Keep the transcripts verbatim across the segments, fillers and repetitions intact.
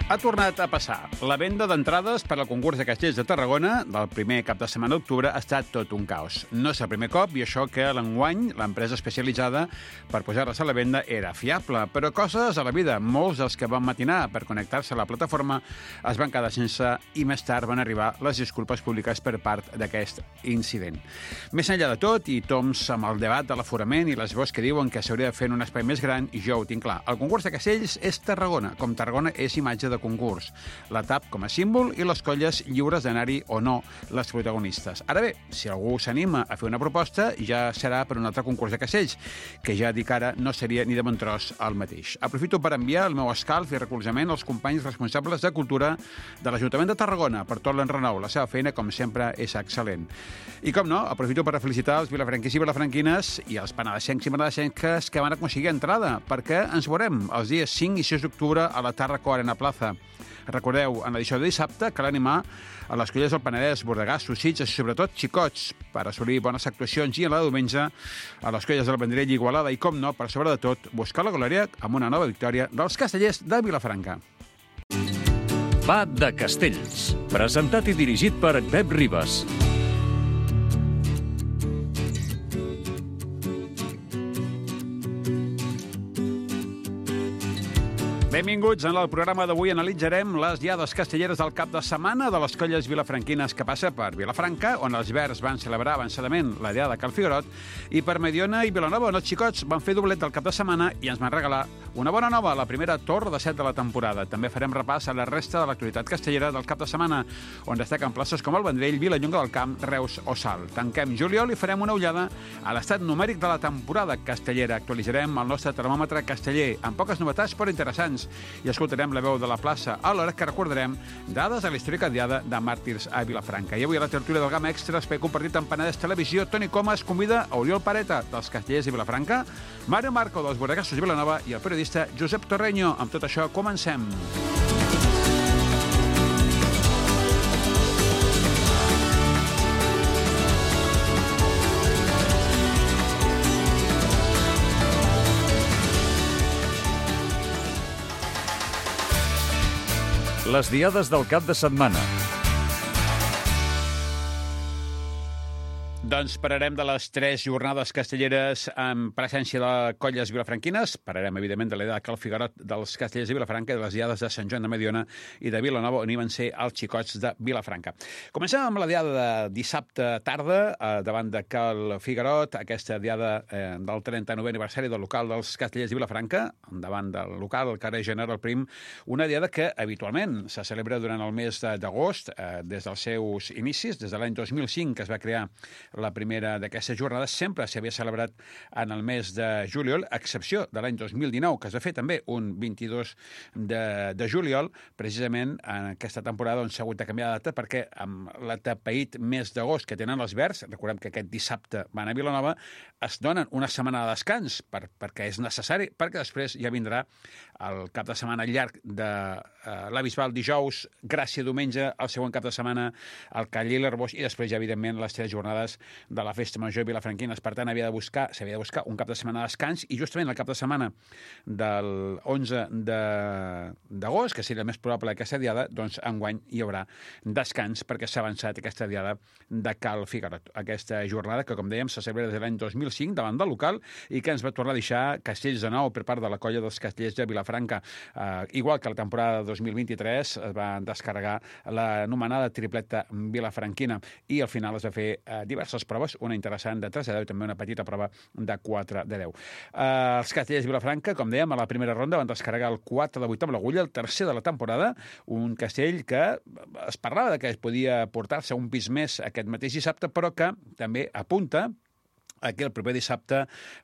Ha tornat a passar. La venda d'entrades per al concurs de Castells de Tarragona del primer cap de setmana d'octubre ha estat tot un caos. No és el primer cop i això que l'enguany l'empresa especialitzada per posar-les a la venda era fiable, però coses a la vida. Molts dels que van matinar per connectar-se a la plataforma es van quedar sense i més tard van arribar les disculpes públiques per part d'aquest incident. Més enllà de tot, i toms amb el debat de l'aforament i les veus que diuen que s'hauria de fer en un espai més gran, i jo ho tinc clar. El concurs de Castells és Tarragona, com Tarragona és imatge de concurs. La T A P com a símbol i les colles lliures d'anar-hi o no les protagonistes. Ara bé, si algú s'anima a fer una proposta, ja serà per un altre concurs de castells, que ja dic ara no seria ni de bon tros el mateix. Aprofito per enviar el meu escalf i recolzament als companys responsables de cultura de l'Ajuntament de Tarragona per tot l'enrenou. La seva feina, com sempre, és excel·lent. I com no, aprofito per felicitar els vilafranquins i vilafranquines i els penedesencs i penedesenques que van aconseguir entrada, perquè ens veurem els dies cinc i sis d'octubre a la Tàrraco Arena Plaza. Recordeu, en l'edició de dissabte, cal animar a les colles del Penedès, Bordegàs, Sossits i sobretot xicots per assolir bones actuacions i en la de diumenge a les colles del Vendrell i Igualada i, com no, per sobre de tot, buscar la glòria amb una nova victòria dels castellers de Vilafranca. Va de Castells, presentat i dirigit per Pep Ribas. Benvinguts. En el programa d'avui analitzarem les diades castelleres del cap de setmana de les colles vilafranquines que passa per Vilafranca, on els Verds van celebrar avançadament la diada Cal Figuerot, i per Mediona i Vilanova, on els xicots van fer doblet del cap de setmana i ens van regalar una bona nova, la primera torre de set de la temporada. També farem repàs a la resta de l'actualitat castellera del cap de setmana, on destaquen places com el Vendrell, Vilallonga del Camp, Reus o Salt. Tanquem juliol i farem una ullada a l'estat numèric de la temporada castellera. Actualitzarem el nostre termòmetre casteller, amb poques novetats però interessants, i escoltarem la veu de la plaça, alhora que recordarem dades de la històrica diada de màrtirs a Vilafranca. I avui a la tertúlia del Gamma Extra, espai compartit amb Penedès Televisió, Toni Comas convida a Oriol Pareta, dels castellers de Vilafranca, Mario Marco, dels Bordegassos de Vilanova, i el periodista Josep Torreño. Amb tot això, comencem. Les diades del cap de setmana. Doncs parlarem de les tres jornades castelleres en presència de colles vilafranquines. Parlarem, evidentment, de la diada Cal Figuerot dels castellers de Vilafranca i de les diades de Sant Joan de Mediona i de Vilanova, on hi van ser els xicots de Vilafranca. Comencem amb la diada de dissabte tarda, eh, davant de Cal Figuerot, aquesta diada eh, del trenta-novè aniversari del local dels castellers de Vilafranca, davant del local, el carrer General Prim, una diada que habitualment se celebra durant el mes d'agost, eh, des dels seus inicis, des de l'any dos mil cinc, que es va crear la primera d'aquestes jornades. Sempre s'havia celebrat en el mes de juliol, a excepció de l'any dos mil dinou, que es va fer també un vint-i-dos de, de juliol, precisament en aquesta temporada on s'ha hagut de canviar de data, perquè amb l'atapeït mes d'agost que tenen els Verds, recordem que aquest dissabte van a Vilanova, es donen una setmana de descans per, perquè és necessari, perquè després ja vindrà el cap de setmana llarg de uh, la Bisbal dijous, Gràcia diumenge, el següent cap de setmana el Caller i l'Arbós, i després ja, evidentment, les tres jornades de la Festa Major vilafranquines. Per tant, havia de buscar, s'havia de buscar un cap de setmana de descans, i justament el cap de setmana del onze d'agost, que seria el més probable d'aquesta diada, doncs enguany hi haurà descans perquè s'ha avançat aquesta diada de Cal Figuerot. Aquesta jornada que, com dèiem, se celebra des de l'any dos mil cinc davant del local i que ens va tornar a deixar castells de nou per part de la colla dels castellers de Vilafranca. Uh, igual que la temporada dos mil vint-i-tres es va descarregar l'anomenada tripleta vilafranquina i al final es va fer uh, diverses proves, una interessant de tres de deu i també una petita prova de quatre de deu. Uh, els castellers de Vilafranca, com dèiem, a la primera ronda van descarregar el quatre de vuit amb l'agulla, el tercer de la temporada, un castell que es parlava de que es podia portar-se un pis més aquest mateix dissabte, però que també apunta aquí el proper dissabte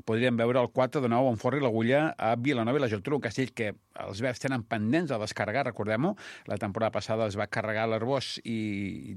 podríem veure el quatre de nou on forri l'agulla a Vilanova i la Geltrú, un castell que els Verds tenen pendents de descarregar, recordem-ho. La temporada passada es va carregar l'Arbós i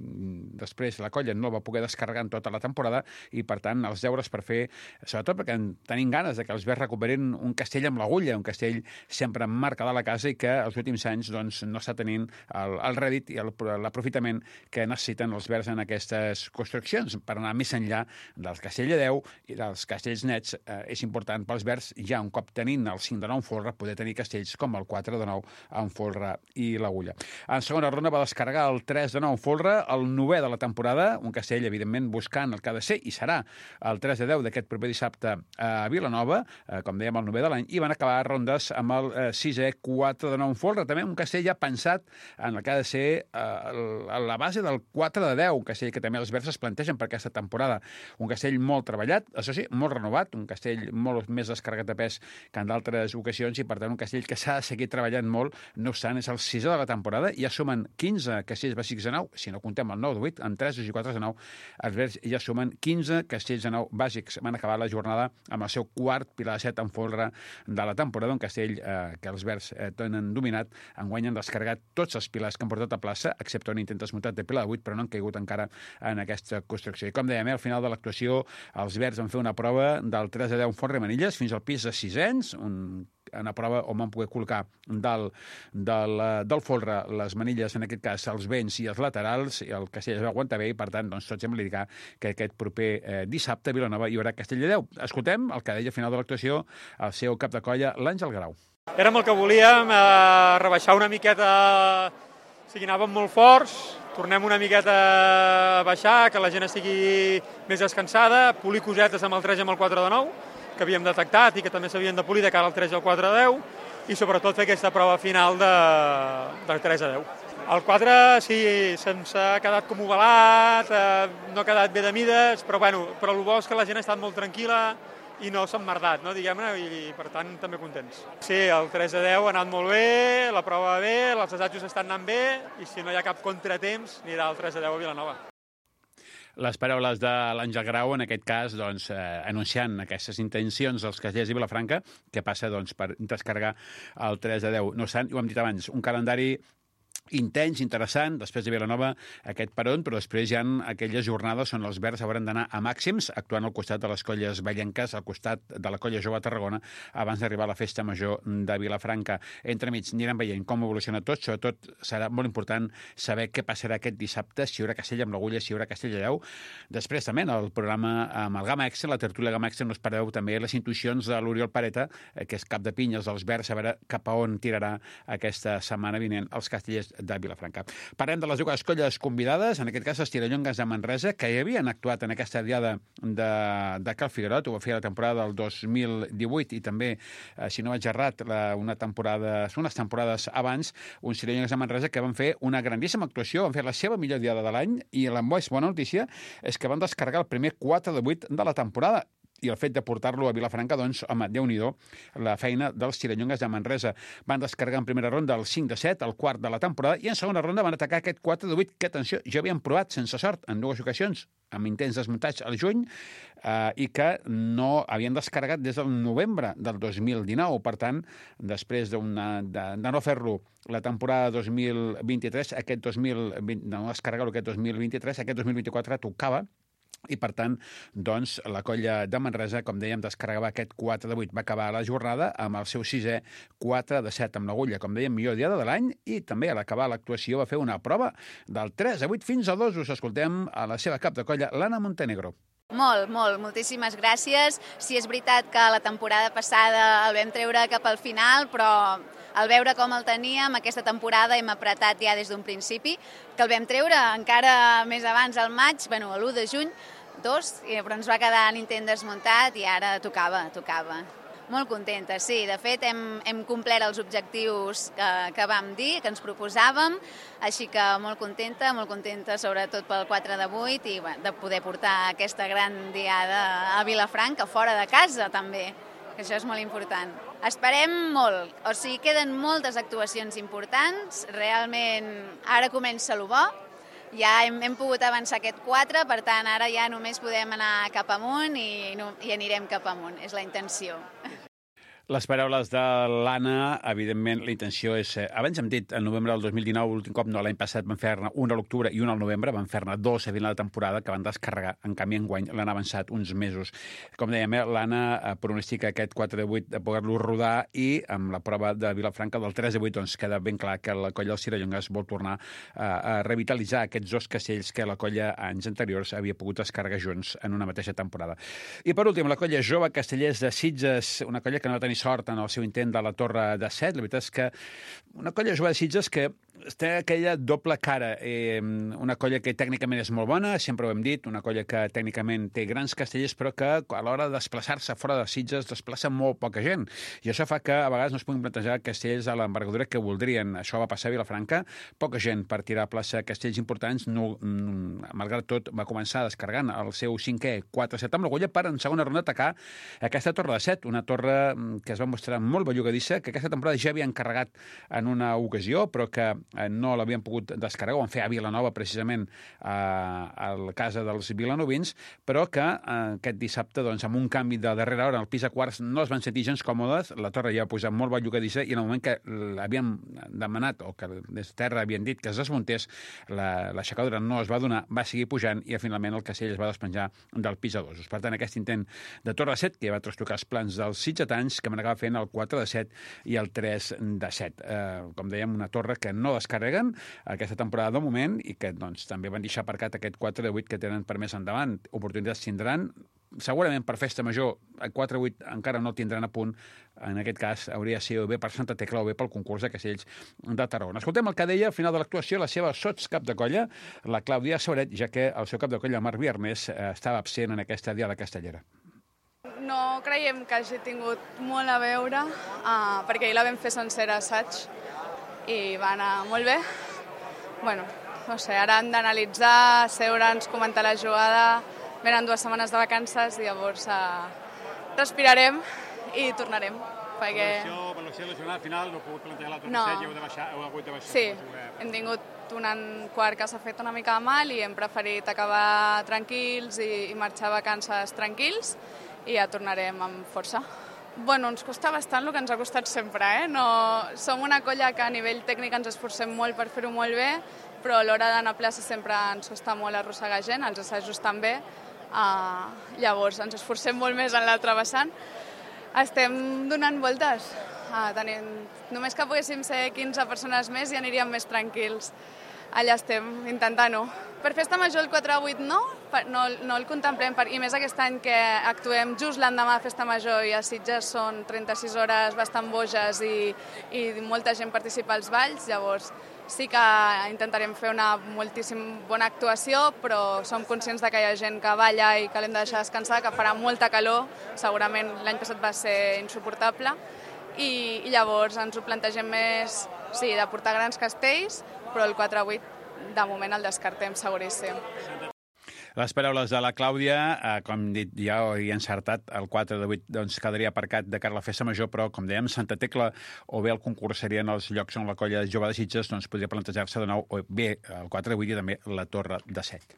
després la colla no el va poder descarregar en tota la temporada i, per tant, els deures per fer, sobretot perquè tenim ganes de que els Verds recuperin un castell amb l'agulla, un castell sempre en marca de la casa i que els últims anys doncs, no està tenint el, el rèdit i l'aprofitament que necessiten els Verds en aquestes construccions per anar més enllà del castell de deu i dels castells nets, eh, és important pels verds, ja un cop tenint el cinc de nou en folre, poder tenir castells com el quatre de nou en folre i l'Agulla. En segona ronda va descarregar el tres de nou en folre, el novè de la temporada, un castell, evidentment, buscant el que ha de ser, i serà el tres de deu d'aquest proper dissabte a Vilanova, eh, com dèiem, el novè de l'any, i van acabar rondes amb el eh, sisè quatre de nou en folre, també un castell ja pensat en el que ha de ser eh, la base del quatre de deu, un castell que també els verds es plantegen per aquesta temporada. Un castell molt treballat, això sí, molt renovat, un castell molt més descarregat de pes que en d'altres ocasions i, per tant, un castell que s'ha de seguir treballant molt. No obstant, és el sisè de la temporada, ja sumen quinze castells bàsics de nou, si no comptem el nou de vuit, amb tres i quatre de nou, els verds ja sumen quinze castells de nou bàsics. Van acabar la jornada amb el seu quart pilar de set en folre de la temporada, un castell eh, que els verds eh, tenen dominat. Enguany han descarregat tots els pilars que han portat a plaça, excepte un intent desmuntat de pilar de vuit, però no han caigut encara en aquesta construcció. I com dèiem, eh, al final de l'actuació, els verds van fer una prova del tres a deu en folre i manilles fins al pis de sisens, un una prova on van poder col·locar dalt del, del folre les manilles, en aquest cas els vents i els laterals, i el castell es va aguantar bé i, per tant, doncs, tot sembla indicar que aquest proper eh, dissabte a Vilanova hi haurà castell de deu. Escoltem el que deia al final de l'actuació el seu cap de colla, l'Àngel Grau. Érem el que volíem, eh, rebaixar una miqueta, o sigui, anàvem molt forts, tornem una miqueta a baixar, que la gent estigui més descansada, polir cosetes amb el tres i amb el quatre de nou, que havíem detectat i que també s'havien de polir de cara al tres i al quatre a deu, i sobretot fer aquesta prova final de, del tres a deu. El quatre, sí, se'ns ha quedat com ovalat, eh, no ha quedat bé de mides, però, bueno, però el bo és que la gent ha estat molt tranquil·la i no s'ha emmerdat, no, diguem-ne, i per tant també contents. Sí, el tres a deu ha anat molt bé, la prova va bé, els assajos estan anant bé, i si no hi ha cap contratemps, anirà el tres a deu a Vilanova. Les paraules de l'Àngel Grau, en aquest cas, doncs, eh, anunciant aquestes intencions dels castellers de Vilafranca, que passa doncs, per descarregar el tres a deu. No obstant, ho hem dit abans, un calendari intens, interessant, després de Vilanova aquest peron, però després hi ha aquelles jornades on els verds hauran d'anar a màxims, actuant al costat de les colles vellenques, al costat de la colla jove a Tarragona, abans d'arribar a la festa major de Vilafranca. Entremig anirem veient com evoluciona tot, sobretot serà molt important saber què passarà aquest dissabte, si hi haurà castell amb l'Agulla, si hi haurà castell a deu. Després també en el programa amb el Gama Extra, la tertúlia Gama Extra, no espereu també les intuïcions de l'Oriol Pareta, que és cap de pinyes dels verds, a veure cap a on tirarà aquesta setmana vinent els castellers de Vilafranca. Parlem de les dues colles convidades, en aquest cas els Tirallongues de Manresa, que hi havien actuat en aquesta diada de, de Cal Figuerot, ho va fer la temporada del dos mil divuit i també, eh, si no vaig errat, la, una temporada, unes temporades abans, uns Tirallongues de Manresa que van fer una grandíssima actuació, van fer la seva millor diada de l'any i la més bona notícia és que van descarregar el primer quatre de vuit de la temporada. I el fet de portar-lo a Vilafranca, doncs, home, Déu-n'hi-do, la feina dels Tirallongues de Manresa. Van descarregar en primera ronda el cinc de set, el quart de la temporada, i en segona ronda van atacar aquest quatre de vuit, que, atenció, ja havien provat sense sort en dues ocasions, amb intents desmuntats al juny, eh, i que no havien descarregat des del novembre del dos mil dinou. Per tant, després de, de, de no fer-lo la temporada dos mil vint-i-tres, aquest dos mil vint, no descarregar-lo aquest dos mil vint-i-tres, aquest dos mil vint-i-quatre tocava, i, per tant, doncs, la colla de Manresa, com dèiem, descarregava aquest quatre de vuit. Va acabar la jornada amb el seu sisè quatre de set amb l'Agulla, com dèiem, millor diada de l'any, i també a l'acabar l'actuació va fer una prova del tres a vuit fins a dos. Us escoltem a la seva cap de colla, l'Anna Montenegro. Molt, molt. Moltíssimes gràcies. Sí, és veritat que la temporada passada el vam treure cap al final, però al veure com el teníem, aquesta temporada hem apretat ja des d'un principi, que el vam treure encara més abans, al maig, bueno, l'u de juny, dos, però ens va quedar l'intent desmuntat i ara tocava, tocava. Molt contenta, sí. De fet, hem, hem complert els objectius que, que vam dir, que ens proposàvem, així que molt contenta, molt contenta sobretot pel quatre de vuit i bueno, de poder portar aquesta gran diada a Vilafranca, fora de casa també, que això és molt important. Esperem molt, o sigui, queden moltes actuacions importants, realment ara comença el bo, ja hem, hem pogut avançar aquest quatre, per tant ara ja només podem anar cap amunt i, no, i anirem cap amunt, és la intenció. Les paraules de l'Anna, evidentment, la intenció és... Eh, abans hem dit, en novembre del dos mil dinou, l'últim cop, no, l'any passat van fer-ne una a l'octubre i una al novembre, van fer-ne dos a final de temporada que van descarregar. En canvi, enguany l'han avançat uns mesos. Com dèiem, eh, l'Anna eh, pronostica aquest quatre de vuit de poder-lo rodar i amb la prova de Vilafranca del tres de vuit doncs, queda ben clar que la colla dels Cirallongues vol tornar eh, a revitalitzar aquests dos castells que la colla anys anteriors havia pogut descarregar junts en una mateixa temporada. I per últim, la colla jove Castellers de Sitges, una colla que no va tenir sort en el seu intent de la Torre de Set. La veritat és que una colla jove de Sitges que té aquella doble cara. Eh, una colla que tècnicament és molt bona, sempre ho hem dit, una colla que tècnicament té grans castellers, però que a l'hora de desplaçar-se fora de Sitges desplaça molt poca gent. I això fa que a vegades no es puguin plantejar castells a l'envergadura que voldrien. Això va passar a Vilafranca, poca gent per tirar a plaça castells importants. No, malgrat tot, va començar descarregant el seu cinquè quatre set amb l'Agulla per en segona ronda atacar aquesta Torre de Set, una torre que es va mostrar molt bellugadissa, que aquesta temporada ja havia encarregat en una ocasió, però que no l'havien pogut descarregar, ho van fer a Vilanova, precisament, a, a la casa dels vilanovins, però que eh, aquest dissabte, doncs, amb un canvi de darrera hora, el pis a quarts no es van sentir gens còmodes, la torre ja va posar molt bellugadissa, i en el moment que l'havien demanat, o que des de terra havien dit que es desmuntés, l'aixecadora no es va donar, va seguir pujant, i finalment el castell es va despenjar del pis a dosos. Per tant, aquest intent de Torre de Set, que ja va trastocar els plans dels sitgetans, que m'anava fent el quatre de set i el tres de set. Eh, com dèiem, una torre que no descarreguen aquesta temporada de moment i que doncs, també van deixar aparcat aquest quatre de vuit que tenen per més endavant. Oportunitats tindran. Segurament per festa major el quatre vuit encara no tindran a punt. En aquest cas hauria de ser o bé per Santa Tecla o bé pel concurs de castells de Tarragona. Escoltem el que deia al final de l'actuació la seva sotscap de colla, la Clàudia Sauret, ja que el seu cap de colla, Marc Viernes, estava absent en aquesta diada castellera. No creiem que hagi tingut molt a veure, uh, perquè ahir la vam fer sencera assaig i va anar molt bé. Bueno, no sé, ara hem d'analitzar, seure'ns, comentar la jugada, venen dues setmanes de vacances i llavors uh, respirarem i tornarem. Perquè... Valoració de la jornada final, no heu pogut plantejar la torre no. set i heu de baixar, heu hagut de baixar. Sí, hem tingut un quart que s'ha fet una mica mal i hem preferit acabar tranquils i, i marxar a vacances tranquils i ja tornarem amb força. Bueno, ens costa bastant el que ens ha costat sempre, eh? No... Som una colla que a nivell tècnic ens esforcem molt per fer-ho molt bé, però a l'hora d'anar a plaça sempre ens costa molt arrossegar gent, els assajos també. Uh, llavors, ens esforcem molt més en l'altre vessant. Estem donant voltes. Uh, tenim... Només que poguéssim ser quinze persones més i aniríem més tranquils. Allà estem, intentant-ho. Per festa major el quatre vuit no, no, no el contemplem, per, i més aquest any que actuem just l'endemà de festa major i a Sitges són trenta-sis hores bastant boges i, i molta gent participa als balls, llavors sí que intentarem fer una moltíssim bona actuació, però som conscients de que hi ha gent que balla i que l'hem de deixar descansar, que farà molta calor, segurament l'any passat va ser insuportable, i, i llavors ens ho plantegem més, sí, de portar grans castells, però el quatre vuit de moment el descartem seguríssim. Les paraules de la Clàudia, eh, com hem dit, ja ho he encertat, el quatre de vuit doncs, quedaria aparcat de cara a la festa major, però, com dèiem, Santa Tecla o bé el concurs serien els llocs on la colla jove de Sitges doncs, podria plantejar-se de nou, o bé el quatre de vuit i també la Torre de Set.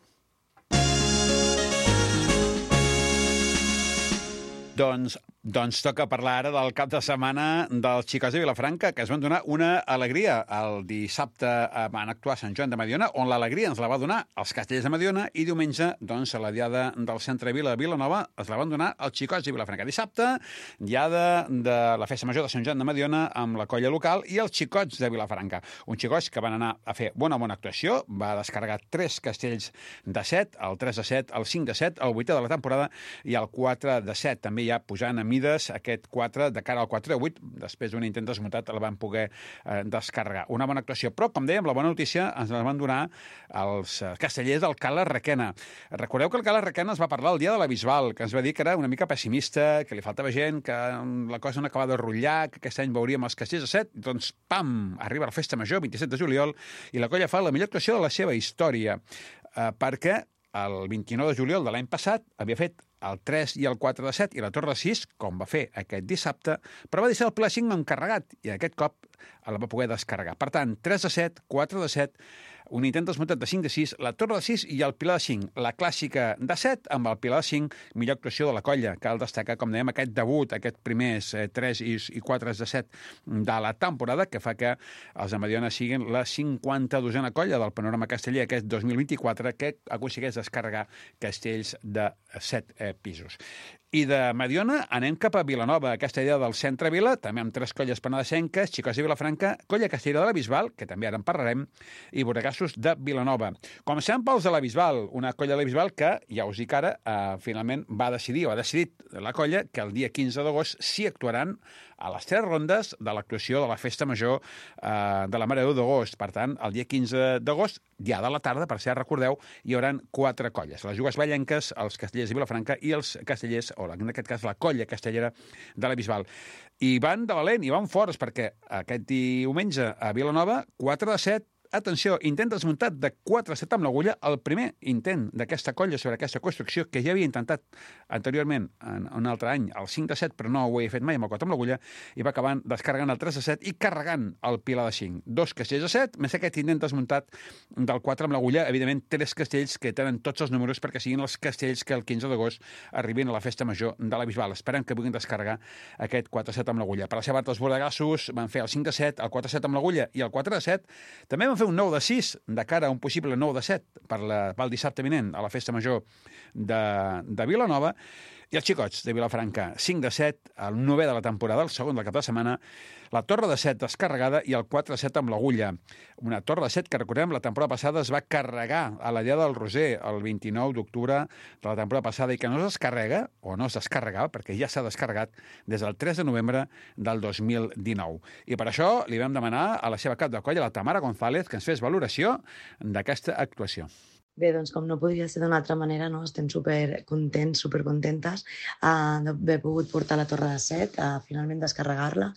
Doncs, doncs toca parlar ara del cap de setmana dels xicots de Vilafranca, que es van donar una alegria. El dissabte van actuar a Sant Joan de Mediona, on l'alegria ens la va donar els castellers de Mediona, i diumenge, doncs, a la diada del Centre Vila de Vilanova, es la van donar els xicots de Vilafranca. Dissabte, diada de la festa major de Sant Joan de Mediona amb la colla local i els xicots de Vilafranca. Uns xicots que van anar a fer bona bona actuació, va descarregar tres castells de set, el tres de set, el cinc de set, el vuitè de la temporada i el quatre de set. També ja pujant a mides aquest quatre de cara al quatre de vuit, després d'un intent desmuntat el van poder eh, descarregar. Una bona actuació, però, com dèiem, la bona notícia ens la van donar els castellers del Cala Requena. Recordeu que el Cala Requena es va parlar el dia de la Bisbal, que ens va dir que era una mica pessimista, que li faltava gent, que la cosa no acabava de rotllar, que aquest any veuríem els castellers de set, doncs, pam, arriba la festa major, vint-i-set de juliol, i la colla fa la millor actuació de la seva història, eh, perquè el vint-i-nou de juliol de l'any passat havia fet el tres i el quatre de set i la Torre de sis, com va fer aquest dissabte, però va deixar el Pla cinc encarregat i aquest cop el va poder descarregar. Per tant, tres de set, quatre de set, un intent desmuntat de cinc de sis, la torre de sis i el pilar de cinc. La clàssica de set amb el pilar de cinc, millor actuació de la colla. Cal destacar, com dèiem, aquest debut, aquest primers eh, tres i quatre de set de la temporada, que fa que els de Mediona siguin la cinquanta-dosena colla del panorama casteller aquest dos mil vint-i-quatre que aconsegueix descarregar castells de set eh, pisos. I de Mediona anem cap a Vilanova, aquesta idea del centre-vila, també amb tres colles penedesenques, Xicots de Vilafranca, colla castellera de la Bisbal, que també ara en parlarem, i Borregassos de Vilanova. Comencem pels de la Bisbal, una colla de la Bisbal que, ja us dic ara, eh, finalment va decidir, o ha decidit la colla, que el dia quinze d'agost s'hi actuaran a les tres rondes de l'actuació de la Festa Major eh, de la Mare de Déu d'agost. Per tant, el dia quinze d'agost, ja de la tarda, per si recordeu, hi haurà quatre colles. Les Jugues Vallenques, els castellers de Vilafranca i els castellers, o en aquest cas la colla castellera de la Bisbal. I van de valent, i van forts, perquè aquest diumenge a Vilanova, quatre de set, atenció, intent desmuntat de quatre a set amb l'agulla, el primer intent d'aquesta colla sobre aquesta construcció, que ja havia intentat anteriorment, en un altre any, el cinc de set, però no ho havia fet mai amb el quatre amb l'agulla, i va acabant descarregant el tres de set i carregant el pilar de cinc. Dos castells de set, més aquest intent desmuntat del quatre amb l'agulla, evidentment, tres castells que tenen tots els números perquè siguin els castells que el quinze d'agost arribin a la Festa Major de la Bisbal. Esperem que puguin descarregar aquest quatre a set amb l'agulla. Per la seva part, els bordegassos van fer el cinc de set, el quatre a set amb l'agulla i el quatre de set. També van fer un nou de sis de cara a un possible nou de set per la, pel dissabte vinent a la Festa Major de, de Vilanova. I els Xicots de Vilafranca, cinc de set, el novè de la temporada, el segon del cap de setmana, la torre de set descarregada i el quatre de set amb l'agulla. Una torre de set que, recordem, la temporada passada es va carregar a la Diada del Roser el vint-i-nou d'octubre de la temporada passada i que no es descarrega, o no es descarregava, perquè ja s'ha descarregat des del tres de novembre del dos mil dinou. I per això li vam demanar a la seva cap de colla, la Tamara González, que ens fes valoració d'aquesta actuació. Bé, doncs com no podria ser d'una altra manera, no? Estem super contents, super contentes uh, d'haver pogut portar la torre de set, uh, finalment descarregar-la.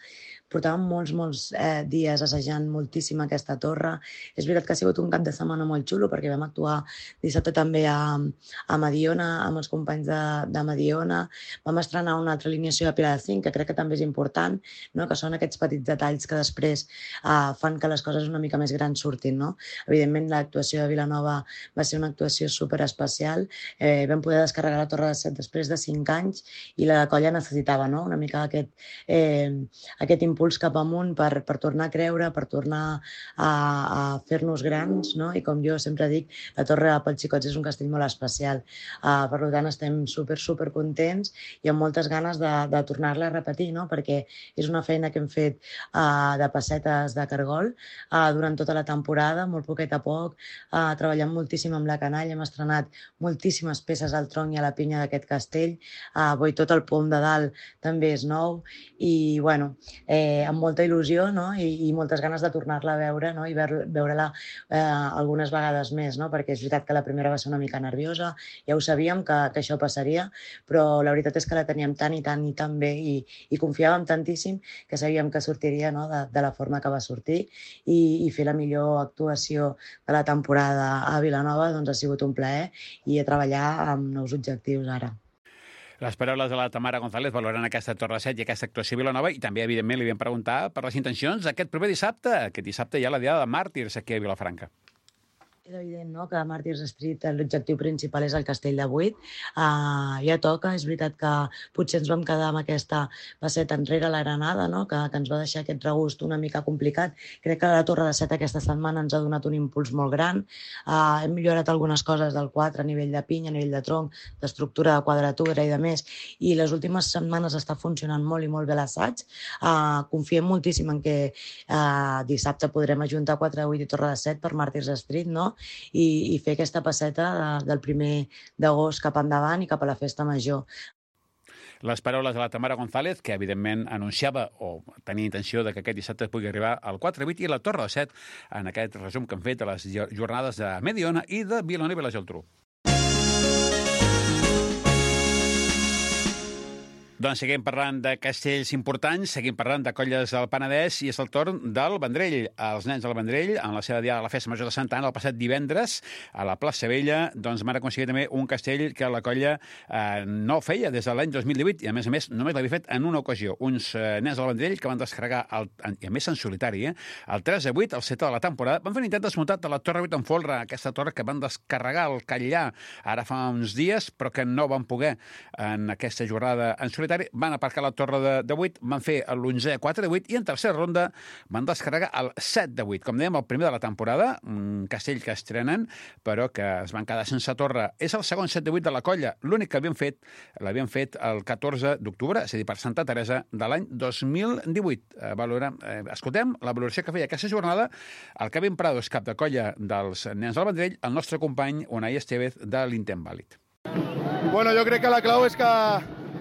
Portàvem molts, molts eh, dies assajant moltíssim aquesta torre. És veritat que ha sigut un cap de setmana molt xulo perquè vam actuar dissabte també a, a Mediona, amb els companys de, de Mediona. Vam estrenar una altra alineació de pilar de cinc, que crec que també és important, no? Que són aquests petits detalls que després eh, fan que les coses una mica més grans surtin. No? Evidentment, l'actuació de Vilanova va ser una actuació superespecial. Eh, vam poder descarregar la torre de set després de cinc anys i la colla necessitava, no? Una mica aquest, eh, aquest impuls cap amunt per, per tornar a creure, per tornar a, a fer-nos grans, no? I com jo sempre dic, la Torre pels Xicots és un castell molt especial. Uh, per tant, estem super, super contents i amb moltes ganes de, de tornar-la a repetir, no? Perquè és una feina que hem fet uh, de pessetes de cargol uh, durant tota la temporada, molt poquet a poc, uh, treballant moltíssim amb la canalla, hem estrenat moltíssimes peces al tronc i a la pinya d'aquest castell, uh, vull tot el pom de dalt també és nou i, bueno, eh, amb molta il·lusió, no? I, i moltes ganes de tornar-la a veure, no? I veure-la eh, algunes vegades més, no? Perquè és veritat que la primera va ser una mica nerviosa, ja ho sabíem que, que això passaria, però la veritat és que la teníem tant i tant i tan bé i, i confiàvem tantíssim que sabíem que sortiria, no? de, de la forma que va sortir i, i fer la millor actuació de la temporada a Vilanova doncs ha sigut un plaer i a treballar amb nous objectius ara. Les paraules de la Tamara González valorant aquesta torre set i aquesta actuació a Vilanova i també, evidentment, li vam preguntar per les intencions d'aquest proper dissabte. Aquest dissabte hi ha la Diada de Màrtirs aquí a Vilafranca. És evident, no?, que a Màrtirs Street l'objectiu principal és el castell de vuit. Uh, ja toca, és veritat que potser ens vam quedar amb aquesta passeta enrere la Granada, no?, que, que ens va deixar aquest regust una mica complicat. Crec que la torre de set aquesta setmana ens ha donat un impuls molt gran. Uh, hem millorat algunes coses del quatre a nivell de pinya, a nivell de tronc, d'estructura, de quadratura i de més, i les últimes setmanes està funcionant molt i molt bé l'assaig. Uh, confiem moltíssim en que uh, dissabte podrem ajuntar quatre, vuit i torre de set per Màrtirs Street, no?, I, i fer aquesta passeta de, del primer d'agost cap endavant i cap a la Festa Major. Les paraules de la Tamara González, que evidentment anunciava o tenia intenció de que aquest dissabte pugui arribar al quatre vuit i la Torre de set en aquest resum que han fet de les jornades de Mediona i de Vilanova i la Geltrú. Doncs seguim parlant de castells importants, seguim parlant de colles del Penedès i és el torn del Vendrell. Els nens del Vendrell, en la seva diada de la Festa Major de Santa Anna, el passat divendres, a la plaça Vella, doncs van aconseguir també un castell que la colla eh, no feia des de l'any dos mil divuit i, a més a més, només l'havia fet en una ocasió. Uns eh, nens del Vendrell que van descarregar, el, i a més en solitari, eh, el tres a vuit, el set de la temporada, van fer un intent desmuntat de la Torre vuit en folre, aquesta torre que van descarregar al Catllà ara fa uns dies, però que no van poder en aquesta jornada en solitari. Van aparcar la torre de, de vuit, van fer l'onzè quatre de vuit i en tercera ronda van descarregar el set de vuit. Com dèiem, el primer de la temporada, un castell que estrenen, però que es van quedar sense torre. És el segon set de vuit de la colla. L'únic que havien fet, l'havien fet el catorze d'octubre, és a dir, per Santa Teresa, de l'any dos mil divuit. Eh, valorem, eh, escoltem la valoració que feia aquesta jornada el Kevin Prados, cap de colla dels nens del Vendrell, el nostre company Unai Estevez de l'Intent Vàlid. Bueno, jo crec que la clau és que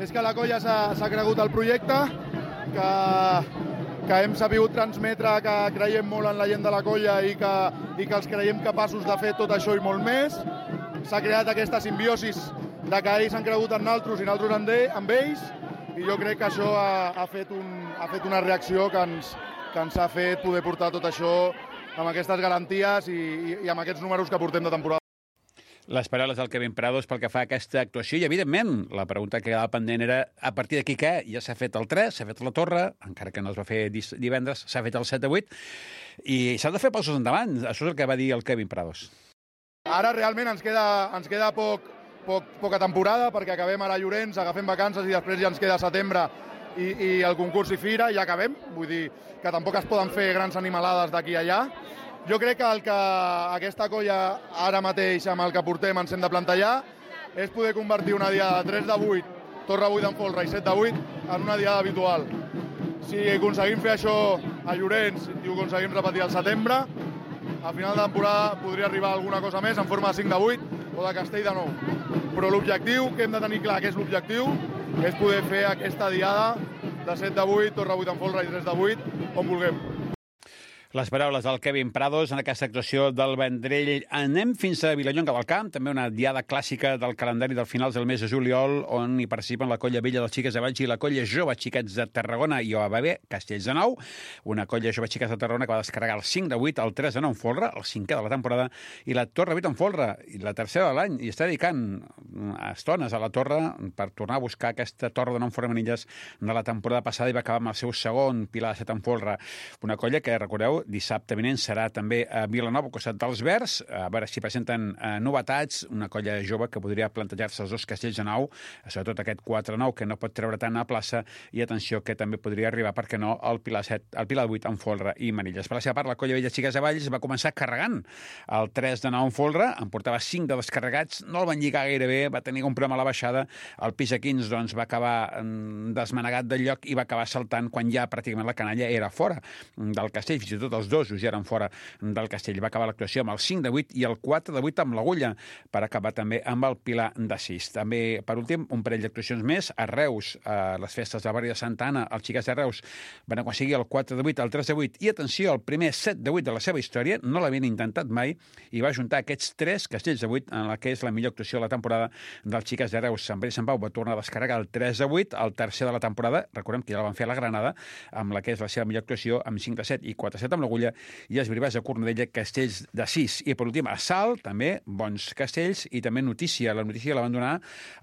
és que la colla s'ha cregut el projecte, que, que hem sabut transmetre que creiem molt en la gent de la colla i que, i que els creiem capaços de fer tot això i molt més. S'ha creat aquesta simbiosis de que ells han cregut en nosaltres i nosaltres en, de, en ells, i jo crec que això ha, ha, fet, un, ha fet una reacció que ens, que ens ha fet poder portar tot això amb aquestes garanties i, i, i amb aquests números que portem de temporada. Les paraules del Kevin Prados pel que fa a aquesta actuació i, evidentment, la pregunta que quedava pendent era a partir d'aquí què? Ja s'ha fet el tres, s'ha fet la torre, encara que no es va fer divendres, s'ha fet el set de vuit, i s'ha de fer passos endavant. Això és el que va dir el Kevin Prados. Ara realment ens queda, ens queda poc, poc, poca temporada perquè acabem ara a Llorenç, agafem vacances i després ja ens queda setembre i, i el concurs i fira i ja acabem. Vull dir que tampoc es poden fer grans animalades d'aquí a allà. Jo crec que el que aquesta colla ara mateix amb el que portem ens hem de plantejar és poder convertir una diada de tres de vuit, torre vuit en folre i set de vuit en una diada habitual. Si aconseguim fer això a Llorenç i ho aconseguim repetir al setembre, a final de temporada podria arribar alguna cosa més en forma de cinc de vuit o de castell de nou. Però l'objectiu, que hem de tenir clar que és l'objectiu, és poder fer aquesta diada de set de vuit, torre vuit en folre i tres de vuit, on vulguem. Les paraules del Kevin Prados en aquesta actuació del Vendrell. Anem fins a Vilallonga del Camp, també una diada clàssica del calendari del finals del mes de juliol, on hi participen la colla vella dels Xiques de Valls i la colla jove Xiquets de Tarragona i O A B Castells de Nou, una colla jove Xiquets de Tarragona que va descarregar el cinc de vuit, el tres de nou en folre, el cinquè de la temporada, i la torre vuit en folre, i la tercera de l'any, i està dedicant estones a la torre per tornar a buscar aquesta torre de nou en folre manilles de la temporada passada i va acabar amb el seu segon pilar de set en folre. Una colla que, recordeu, dissabte vinent serà també a Vilanova, al costat dels Verds, a veure si presenten eh, novetats, una colla jove que podria plantejar-se els dos castells de nou, sobretot aquest quatre nou que no pot treure tant a plaça, i atenció que també podria arribar, per què no, al Pilar set, al Pilar vuit en folre i manilles. Per la seva part, la colla vella Xiques de Valls va començar carregant el tres de nou en folre, en portava cinc de descarregats, no el van lligar gaire bé, va tenir un problema a la baixada, el pis quinze doncs, va acabar mm, desmanegat del lloc i va acabar saltant quan ja pràcticament la canalla era fora del castell, fins i tot els dos ja eren fora del castell. Va acabar l'actuació amb el cinc de vuit i el quatre de vuit amb l'agulla, per acabar també amb el pilar de sis. També, per últim, un parell d'actuacions més. A Reus, a les festes del barri de Santa Anna, els Xiquets de Reus van aconseguir el quatre de vuit, el tres de vuit i, atenció, el primer set de vuit de la seva història. No l'havien intentat mai i va juntar aquests tres castells de vuit en la que és la millor actuació de la temporada dels Xiquets de Reus. Sant Pere i Sant Pau va tornar a descarregar el tres de vuit, el tercer de la temporada. Recordem que ja la van fer a la Granada, amb la que és la seva millor actuació, amb cinc de set i quatre de set amb l'agulla, i els Brivats de Cornudella, castells de sis. I per últim, a Salt, també, bons castells, i també notícia. La notícia la van donar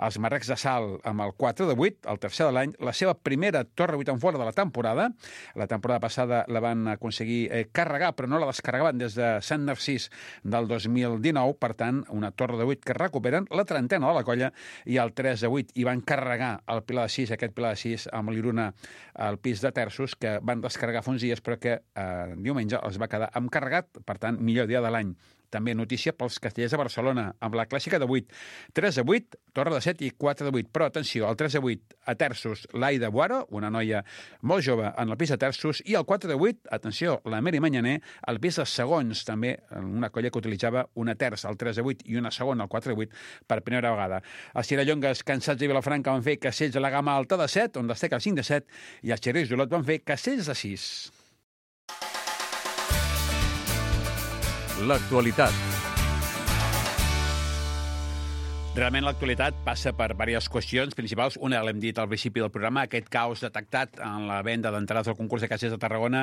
els marrecs de Salt amb el quatre de vuit, el tercer de l'any, la seva primera torre vuit en fora de la temporada. La temporada passada la van aconseguir eh, carregar, però no la descarregaven des de Sant Narcís del dos mil dinou, per tant, una torre de vuit que recuperen, la trentena de la colla, i el tres de vuit, i van carregar el pilar de sis, aquest pilar de sis, amb l'Iruna al pis de terços, que van descarregar fa uns dies, però que eh, diumenge els va quedar amb carregat, per tant, millor dia de l'any. També notícia pels castellers de Barcelona, amb la clàssica de vuit. tres de vuit, torre de set i quatre de vuit. Però, atenció, el tres de vuit a terços, l'Aida Boaro, una noia molt jove en el pis de terços, i el quatre de vuit, atenció, la Mary Manyaner, al pis de segons, també una colla que utilitzava una terça, el tres de vuit, i una segona, el quatre de vuit, per primera vegada. Els Tirallongues, cansats de Vilafranca, van fer castells de la gamma alta de set, on destaca el cinc de set, i els Xerris d'Olot van fer castells de sis. L'actualitat. Realment l'actualitat passa per diverses qüestions principals. Una, l'hem dit al principi del programa, aquest caos detectat en la venda d'entrades al concurs de castells de Tarragona,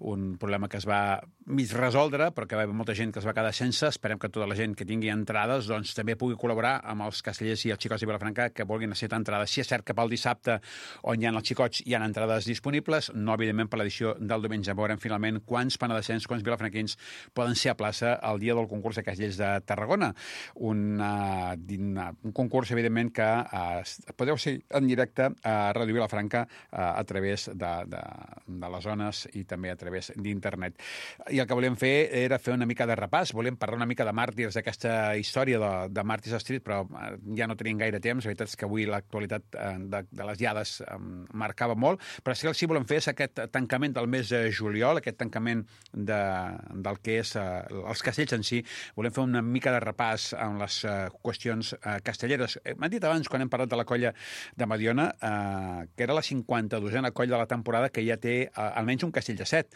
un problema que es va mig resoldre, però que va haver molta gent que es va quedar sense. Esperem que tota la gent que tingui entrades doncs, també pugui col·laborar amb els castellers i els xicots de Vilafranca que vulguin necessitar entrades. Si és cert que pel dissabte, on hi ha els xicots, hi ha entrades disponibles, no, evidentment, per l'edició del diumenge. Veurem finalment quants penedesencs, quants vilafranquins poden ser a plaça el dia del concurs de castellers de Tarragona. Una, un concurs, evidentment, que eh, podeu ser en directe a Ràdio Vilafranca eh, a través de, de, de les zones i també a través d'internet. I el que volíem fer era fer una mica de repàs, volíem parlar una mica de màrtirs, d'aquesta història de, de Màrtirs Street, però ja no tenim gaire temps. La veritat és que avui l'actualitat eh, de, de les diades eh, marcava molt, però sí que el que volem fer és aquest tancament del mes de juliol, aquest tancament de, del que és eh, els castells en si. Volem fer una mica de repàs amb les eh, qüestions eh, castelleres. M'han dit abans, quan hem parlat de la colla de Mediona, eh, que era la cinquanta-dosena colla de la temporada que ja té eh, almenys un castell de set.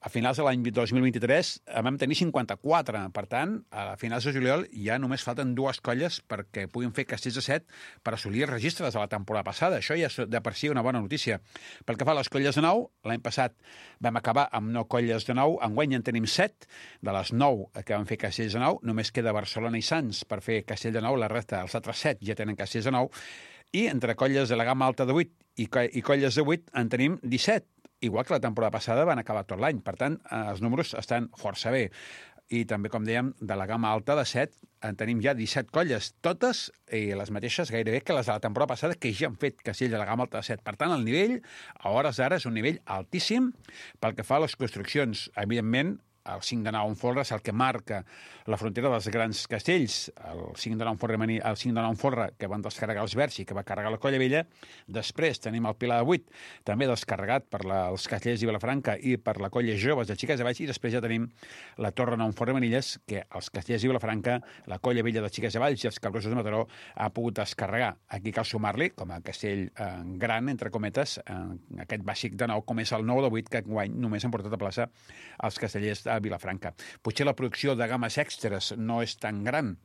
A finals de l'any dos mil vint-i-tres vam tenir cinquanta-quatre. Per tant, a finals de juliol ja només falten dues colles perquè puguin fer castells de set per assolir els registres de la temporada passada. Això ja és de per si una bona notícia. Pel que fa a les colles de nou, l'any passat vam acabar amb nou colles de nou. Enguany en tenim set. De les nou que van fer castells de nou, només queda Barcelona i Sants per fer castell de nou. La resta, els altres set, ja tenen castells de nou. I entre colles de la gamma alta de vuit i, co i colles de vuit en tenim disset. Igual que la temporada passada van acabar tot l'any. Per tant, els números estan força bé. I també, com dèiem, de la gamma alta de set en tenim ja disset colles, totes i les mateixes gairebé que les de la temporada passada, que ja han fet castell de la gamma alta de set. Per tant, el nivell, a hores d'ara, és un nivell altíssim pel que fa a les construccions. Evidentment, el cinc de nou en folre és el que marca la frontera dels grans castells. El cinc de nou en folre, el cinc de nou en folre que van descarregar els Verds i que va carregar la Colla Vella. Després tenim el Pilar de vuit, també descarregat per la, els castellers de Vilafranca i per la Colla Joves de Xiques de Valls. I després ja tenim la Torre nou en folre Manilles, que els castellers de Vilafranca, la Colla Vella de Xiques de Valls i els Cabrosos de Mataró ha pogut descarregar. Aquí cal sumar-li, com a castell eh, gran, entre cometes, eh, aquest bàsic de nou, com és el nou de vuit, que enguany només han portat a plaça els castellers de Vilafranca. Potser la producció de games extres no és tan gran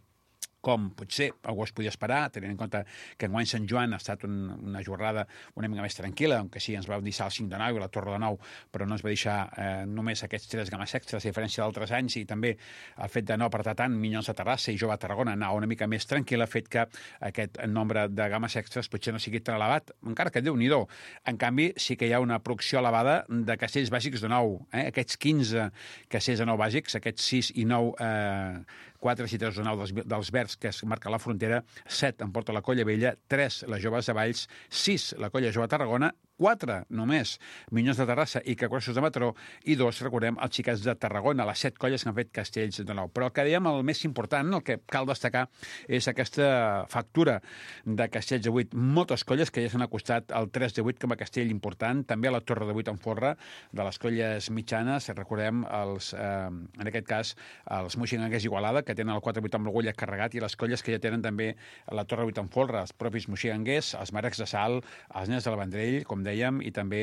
com potser algú es podia esperar, tenint en compte que enguany Sant Joan ha estat un, una jornada una mica més tranquil·la, aunque sí, ens va deixar el cinc de nou i la Torre de nou, però no ens va deixar eh, només aquests tres games extras, a diferència d'altres anys, i també el fet de no apretar tant Minyons de Terrassa i Jove a Tarragona anar una mica més tranquil·la ha fet que aquest nombre de games extras potser no sigui tan elevat, encara que Déu-n'hi-do. En canvi, sí que hi ha una producció elevada de castells bàsics de nou, eh? Aquests quinze castells de nou bàsics, aquests sis i nou eh, quatre i tres de nou dels, dels Verds, que es marca la frontera, set en porta la Colla Vella, tres les Joves de Valls, sis la Colla Jove a Tarragona, quatre només Minyons de Terrassa i Cabrosos de Mataró, i dos, recordem, els Xiquets de Tarragona, les set colles que han fet castells de nou. Però el que dèiem, el més important, el que cal destacar, és aquesta factura de castells de vuit. Moltes colles que ja s'han acostat al tres de vuit com a castell important, també a la Torre de vuit en folre, de les colles mitjanes, recordem, els, eh, en aquest cas, els Moixinguers Igualada, que tenen el quatre vuit amb l'orgull carregat, i les colles que ja tenen també la Torre vuit en folre, els propis Moixinguers, els Marecs de Sal, els Nens de la Vendrell, com dèiem, i també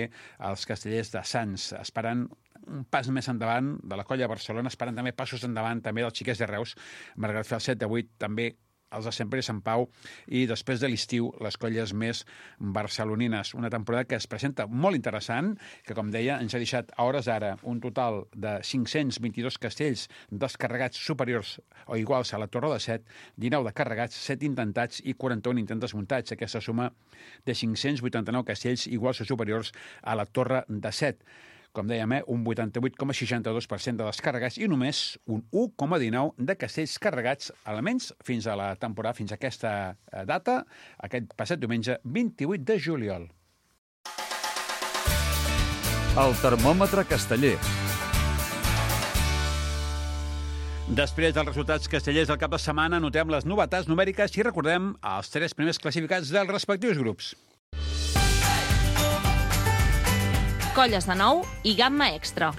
els castellers de Sants, esperant un pas més endavant de la Colla de Barcelona, esperant també passos endavant també dels Xiquets de Reus, malgrat fer el set de vuit, també els de sempre i Sant Pau, i després de l'estiu, les colles més barcelonines. Una temporada que es presenta molt interessant, que, com deia, ens ha deixat a hores d'ara un total de cinc-cents vint-i-dos castells descarregats superiors o iguals a la Torre de set, dinou de carregats, set intentats i quaranta-un intents desmuntats. Aquesta suma de cinc-cents vuitanta-nou castells iguals o superiors a la Torre de set. Com dèiem, eh, un vuitanta-vuit coma seixanta-dos per cent de descarregats i només un u coma dinou de castells carregats, almenys fins a la temporada, fins a aquesta data, aquest passat diumenge vint-i-vuit de juliol. El termòmetre casteller. Després dels resultats castellers del cap de setmana, notem les novetats numèriques i recordem els tres primers classificats dels respectius grups. Colles de nou i gamma extra.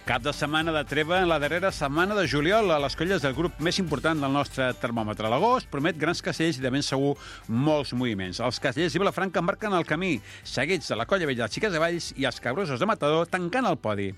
Cap de setmana de treva en la darrera setmana de juliol a les colles del grup més important del nostre termòmetre. L'agost promet grans castells i de ben segur molts moviments. Els castellers de Vilafranca marquen el camí, seguits de la Colla Vella de Xiques de Valls i els Cabrosos de Mataró tancant el podi.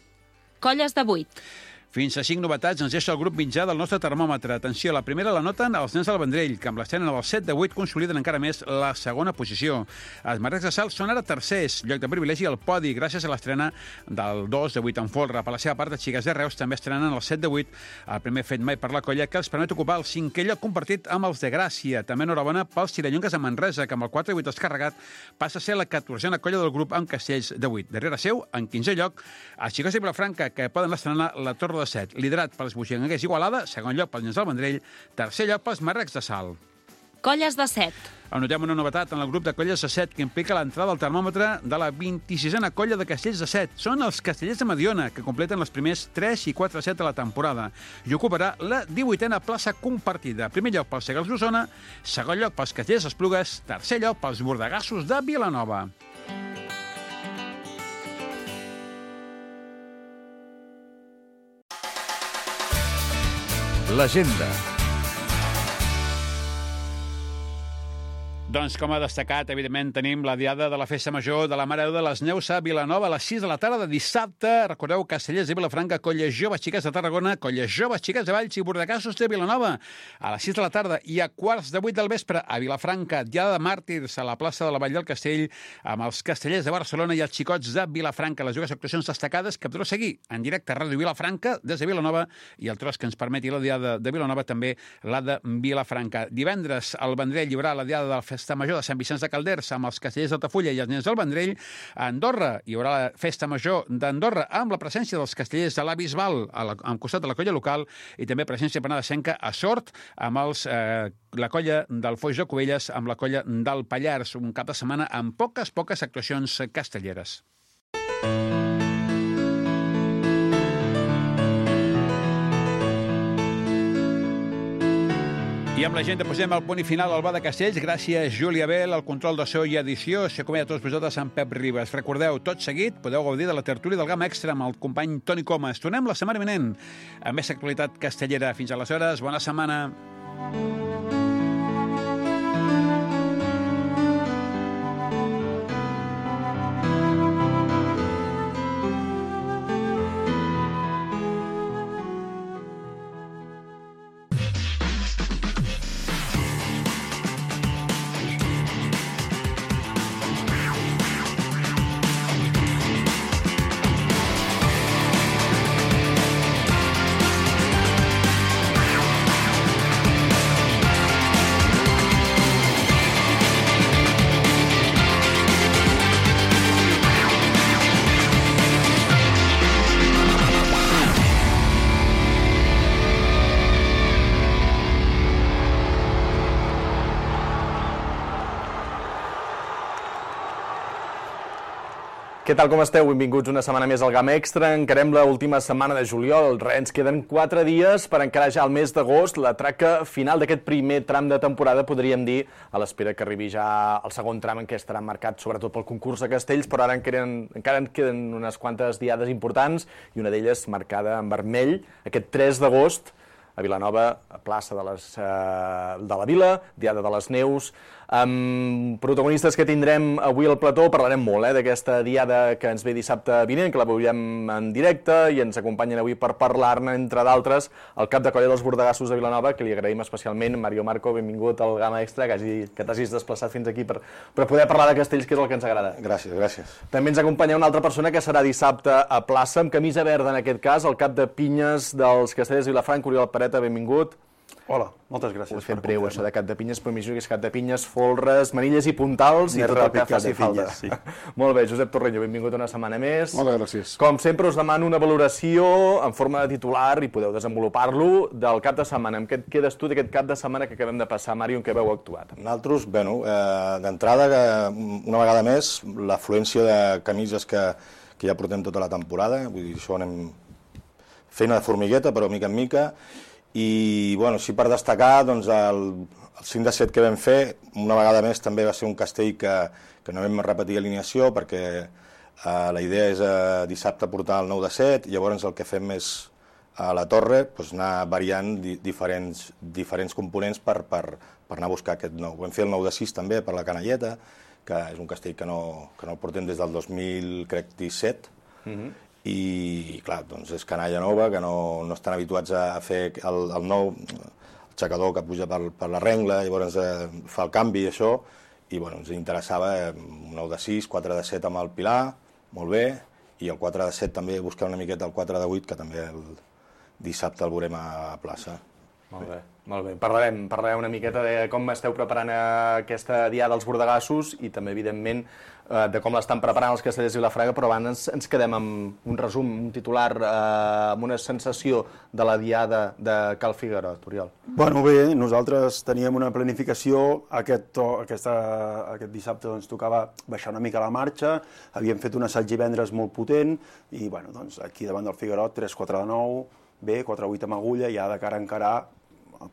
Colles de vuit. Fins a cinc novetats ens deixa el grup mitjà del nostre termòmetre. Atenció, la primera la noten els nens del Vendrell, que amb l'estrena del set de vuit consoliden encara més la segona posició. Els Marrecs de Salt són ara tercers, lloc de privilegi al podi, gràcies a l'estrena del dos de vuit en folre. Per la seva part, els xiques de Reus també estrenen el set de vuit, el primer fet mai per la colla, que els permet ocupar el cinquè lloc compartit amb els de Gràcia. També enhorabona pels tirallonques de Manresa, que amb el quatre de vuit descarregat passa a ser la catorzena colla del grup amb castells de vuit. Darrere seu, en quinzè lloc, els xics de Vilafranca, que poden estrenar la Torre de set, liderat pels buixanguers Igualada, segon lloc pels nens del Vendrell, tercer lloc pels Marrecs de Salt. Colles de set. Anotem una novetat en el grup de colles de set que implica l'entrada al termòmetre de la vint-i-sisena colla de castells de set. Són els Castellers de Mediona, que completen els primers tres i quatre set de la temporada i ocuparà la divuitena plaça compartida. Primer lloc pels Segals d'Osona, segon lloc pels Castellers d'Esplugues, tercer lloc pels Bordegassos de Vilanova. L'agenda. Doncs, com ha destacat, evidentment, tenim la diada de la Festa Major de la Mare de les Neus a Vilanova a les sis de la tarda de dissabte. Recordeu, Castellers de Vilafranca, Colles Joves Xiques de Tarragona, Colles Joves Xiques de Valls i Bordegassos de Vilanova a les sis de la tarda i a quarts de vuit del vespre a Vilafranca, diada de màrtirs a la plaça de la Vall del Castell amb els Castellers de Barcelona i els Xicots de Vilafranca. Les dues actuacions destacades que podreu seguir en directe a Ràdio Vilafranca des de Vilanova i el tros que ens permeti la diada de Vilanova també la de Vilafranca. Divendres el Vendrell lliurarà la diada de la Festa Festa Major de Sant Vicenç de Calders amb els Castellers d'Altafulla i els nens del Vendrell. A Andorra hi haurà la Festa Major d'Andorra amb la presència dels Castellers de la Bisbal al costat de la colla local i també presència penedesenca a Sort amb els, eh, la colla del Foix de Cubelles amb la colla del Pallars. Un cap de setmana amb poques, poques actuacions castelleres. I amb la gent posem el punt i final al Bar de Castells. Gràcies, Júlia Bel, al control de so i edició. S'acomiada a tots vosaltres amb Pep Ribas. Recordeu, tot seguit podeu gaudir de la tertúlia del Gamma Extra amb el company Toni Comas. Tornem la setmana vinent amb més actualitat castellera. Fins aleshores, bona setmana. Què tal, com esteu? Benvinguts una setmana més al Gamma Extra. Encarem l'última setmana de juliol. Ens queden quatre dies per encarar ja el mes d'agost, la traca final d'aquest primer tram de temporada, podríem dir, a l'espera que arribi ja el segon tram en què estarà marcat sobretot pel concurs de castells, però ara en queden, encara en queden unes quantes diades importants i una d'elles marcada en vermell, aquest tres d'agost, a Vilanova, a plaça de, les, eh, de la Vila, Diada de les Neus. Amb protagonistes que tindrem avui al plató, parlarem molt eh, d'aquesta diada que ens ve dissabte vinent, que la veurem en directe, i ens acompanyen avui per parlar-ne, entre d'altres, el cap de colla dels Bordegassos de Vilanova, que li agraïm especialment. Mario Marco, benvingut al Gamma Extra, que, hagi, que t'hagis desplaçat fins aquí per, per poder parlar de castells, que és el que ens agrada. Gràcies, gràcies. També ens acompanya una altra persona que serà dissabte a plaça, amb camisa verda en aquest cas, el cap de pinyes dels Castellers de Vilafranca, Oriol Pareta, benvingut. Hola, moltes gràcies. Ho he fet breu, això de cap de pinyes, però m'imagino que és cap de pinyes, folres, manilles i puntals i tot el que faci falta. Sí. Molt bé, Josep Torreño, benvingut una setmana més. Moltes gràcies. Com sempre, us demano una valoració en forma de titular, i podeu desenvolupar-lo, del cap de setmana. Amb què et quedes tu d'aquest cap de setmana que acabem de passar, Mario, en què veu actuat? Nosaltres, bueno, eh, d'entrada, una vegada més, l'afluència de camises que, que ja portem tota la temporada, vull dir, això anem feina de formigueta, però mica en mica. I, bueno, sí, per destacar, doncs, el, el cinc de set que vam fer, una vegada més també va ser un castell que, que no vam repetir alineació, perquè eh, la idea és eh, dissabte portar el nou de set, i llavors el que fem és a la torre doncs, anar variant di, diferents, diferents components per, per, per anar a buscar aquest nou. Vam fer el nou de sis també per la Canalleta, que és un castell que no, que no el portem des del dos mil disset, mm-hmm. i clar, doncs és canalla nova, que no, no estan habituats a fer el, el nou el xacador que puja per, per la rengla, llavors eh, fa el canvi i això, i bueno, ens interessava eh, un nou de sis, quatre de set amb el Pilar, molt bé, i el quatre de set també buscar una miqueta el quatre de vuit, que també el dissabte el veurem a plaça. Molt bé, molt bé. Parlarem, parlarem una miqueta de com esteu preparant aquesta diada dels bordegassos i també, evidentment, de com l'estan preparant els Castellers i Vilafranca, però abans ens quedem amb un resum, un titular, amb una sensació de la diada de Cal Figuerot, Oriol. Bueno, bé, nosaltres teníem una planificació, aquest, to, aquesta, aquest dissabte doncs, tocava baixar una mica la marxa, havíem fet un assaig divendres molt potent i bueno, doncs, aquí davant del Figuerot, tres quatre de nou, bé, quatre vuit amb agulla, ja de cara a encarar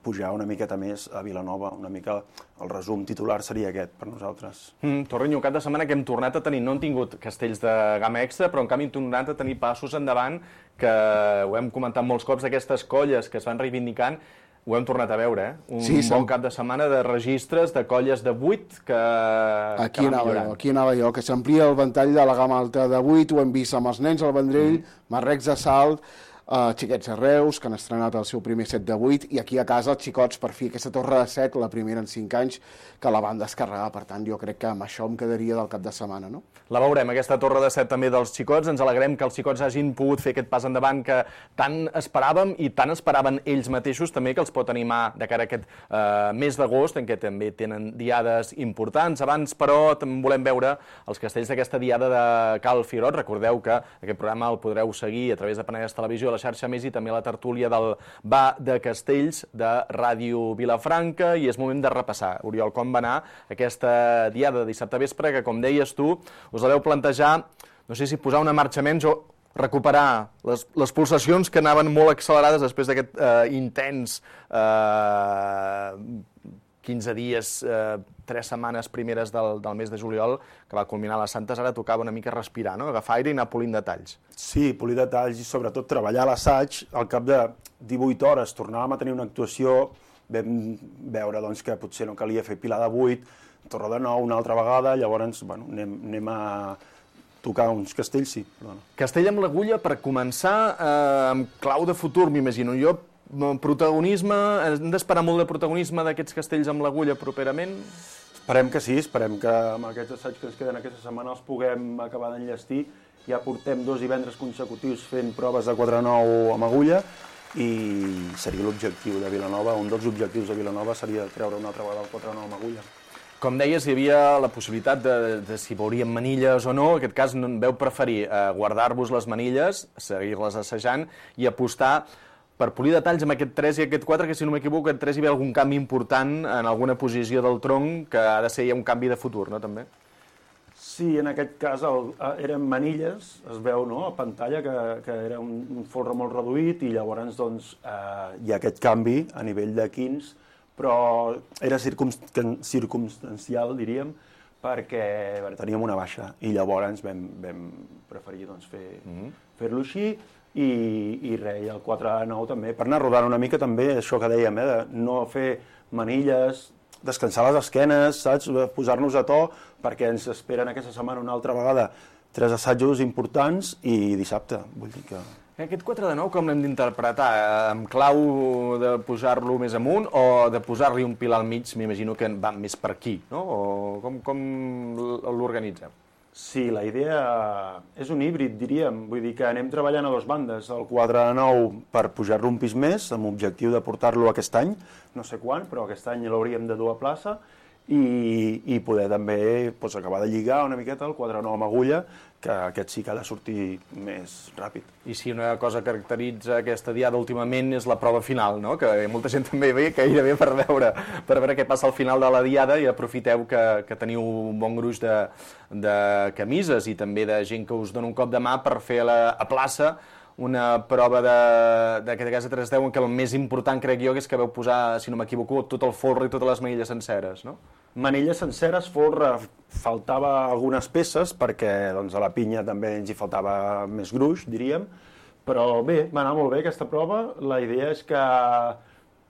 pujar una miqueta més a Vilanova, una mica el resum titular seria aquest per nosaltres. Mm, Torrenyo, cap de setmana que hem tornat a tenir, no hem tingut castells de gamma extra, però en canvi hem tornat a tenir passos endavant, que ho hem comentat molts cops, d'aquestes colles que es van reivindicant, ho hem tornat a veure, eh? Un sí, bon cap de setmana de registres, de colles de vuit que, aquí que van anava millorant. Jo, aquí anava jo, que s'amplia el ventall de la gamma alta de vuit, ho hem vist amb els nens al Vendrell, mm. Marrecs de Salt, Uh, xiquets de Reus, que han estrenat el seu primer set de vuit, i aquí a casa els xicots, per fi, aquesta torre de set, la primera en cinc anys, que la van descarregar. Per tant, jo crec que amb això em quedaria del cap de setmana, no? La veurem, aquesta torre de set també dels xicots. Ens alegrem que els xicots hagin pogut fer aquest pas endavant que tant esperàvem i tant esperaven ells mateixos, també que els pot animar de cara a aquest uh, mes d'agost, en què també tenen diades importants. Abans, però, també volem veure els castells d'aquesta diada de Cal Figuerot. Recordeu que aquest programa el podreu seguir a través de Penedès Televisió, la xarxa Més i també la tertúlia del Ba de Castells de Ràdio Vilafranca, i és moment de repassar, Oriol, com va anar aquesta diada de dissabte vespre, que com deies tu, us la veu plantejar, no sé si posar una marxa menys o recuperar les, les pulsacions que anaven molt accelerades després d'aquest eh, intens eh, quinze dies, eh, tres setmanes primeres del, del mes de juliol, que va culminar a les Santes. Ara tocava una mica respirar, no? Agafar aire i anar polint detalls. Sí, polir detalls i sobretot treballar l'assaig. Al cap de divuit hores tornàvem a tenir una actuació, vam veure doncs, que potser no calia fer Pilar de vuit, Torre de nou una altra vegada, llavors bueno, anem, anem a tocar uns castells, sí. Bueno. Castell amb l'agulla, per començar, eh, amb clau de futur, m'imagino. Jo protagonisme, hem d'esperar molt de protagonisme d'aquests castells amb l'agulla properament? Esperem que sí, esperem que amb aquests assaigs que ens queden aquesta setmana els puguem acabar d'enllestir. Ja portem dos divendres consecutius fent proves de quatre nou amb agulla i seria l'objectiu de Vilanova, un dels objectius de Vilanova seria treure una altra vegada el quatre nou amb agulla. Com deies, hi havia la possibilitat de, de si veuríem manilles o no. En aquest cas veu preferir eh, guardar-vos les manilles, seguir-les assajant i apostar per polir detalls amb aquest tres i aquest quatre, que si no m'equivoco, aquest tres hi ve algun canvi important en alguna posició del tronc, que ha de ser ja un canvi de futur, no, també? Sí, en aquest cas el, eren manilles, es veu no, a pantalla, que, que era un, un folre molt reduït i llavors doncs, eh, hi ha aquest canvi a nivell de quins, però era circumstancial, diríem, perquè veure, teníem una baixa i llavors vam, vam preferir doncs, fer, mm-hmm. fer-lo així. I, i res, el quatre nou també, per anar rodant una mica també, això que dèiem, eh, de no fer manilles, descansar les esquenes, saps? Posar-nos a to, perquè ens esperen aquesta setmana una altra vegada tres assajos importants i dissabte, vull dir que... Aquest quatre de nou com l'hem d'interpretar? Amb clau de posar-lo més amunt o de posar-li un pilar al mig, m'imagino que va més per aquí, no? O com, com l'organitzem? Sí, la idea és un híbrid, diríem. Vull dir que anem treballant a dues bandes. El quatre de nou per pujar-lo un pis més, amb l'objectiu de portar-lo aquest any, no sé quan, però aquest any l'hauríem de dur a plaça, i, i poder també doncs, acabar de lligar una miqueta el quatre de nou amb agulla, que aquest sí que ha de sortir més ràpid. I si una cosa caracteritza aquesta diada últimament és la prova final, no? Que molta gent també ve gairebé per veure, per veure què passa al final de la diada i aprofiteu que, que teniu un bon gruix de, de camises i també de gent que us dona un cop de mà per fer a, la, a plaça una prova d'aquest cas de tres deu en què el més important crec jo que és que vau posar, si no m'equivoco, tot el folre i totes les manilles senceres, no? Manilles senceres, folre, faltava algunes peces perquè doncs, a la pinya també ens hi faltava més gruix, diríem, però bé, va anar molt bé aquesta prova. La idea és que,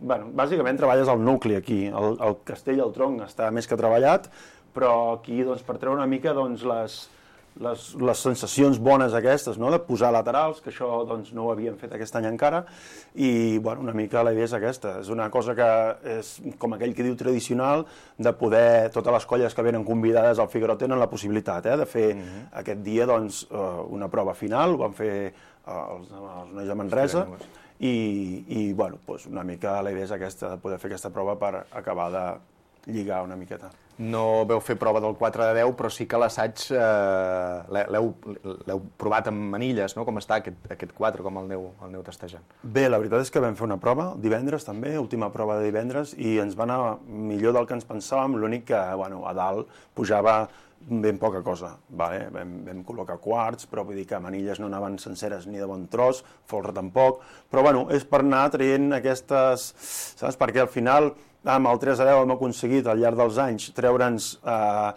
bueno, bàsicament treballes el nucli aquí, el, el castell, el tronc està més que treballat, però aquí doncs, per treure una mica doncs, les, les, les sensacions bones aquestes, no? De posar laterals, que això doncs, no ho havíem fet aquest any encara, i bueno, una mica la idea és aquesta. És una cosa que és, com aquell que diu tradicional, de poder, totes les colles que venen convidades al Figuerot tenen la possibilitat eh, de fer mm-hmm. aquest dia doncs, una prova final, ho van fer els, els nois de Manresa, i, i bueno, doncs una mica la idea és aquesta, de poder fer aquesta prova per acabar de lligar una miqueta. No veu fer prova del quatre de deu, però sí que l'assaig eh, l'heu provat amb manilles, no? Com està aquest, aquest quatre, com el aneu, el aneu testejant? Bé, la veritat és que vam fer una prova divendres també, última prova de divendres, i ens va anar millor del que ens pensàvem, l'únic que bueno, a dalt pujava ben poca cosa. Vale? Vam, vam col·locar quarts, però vull dir que manilles no anaven senceres ni de bon tros, folre tampoc, però bueno, és per anar traient aquestes, saps? Perquè al final amb el tres a deu hem aconseguit al llarg dels anys treure'ns eh,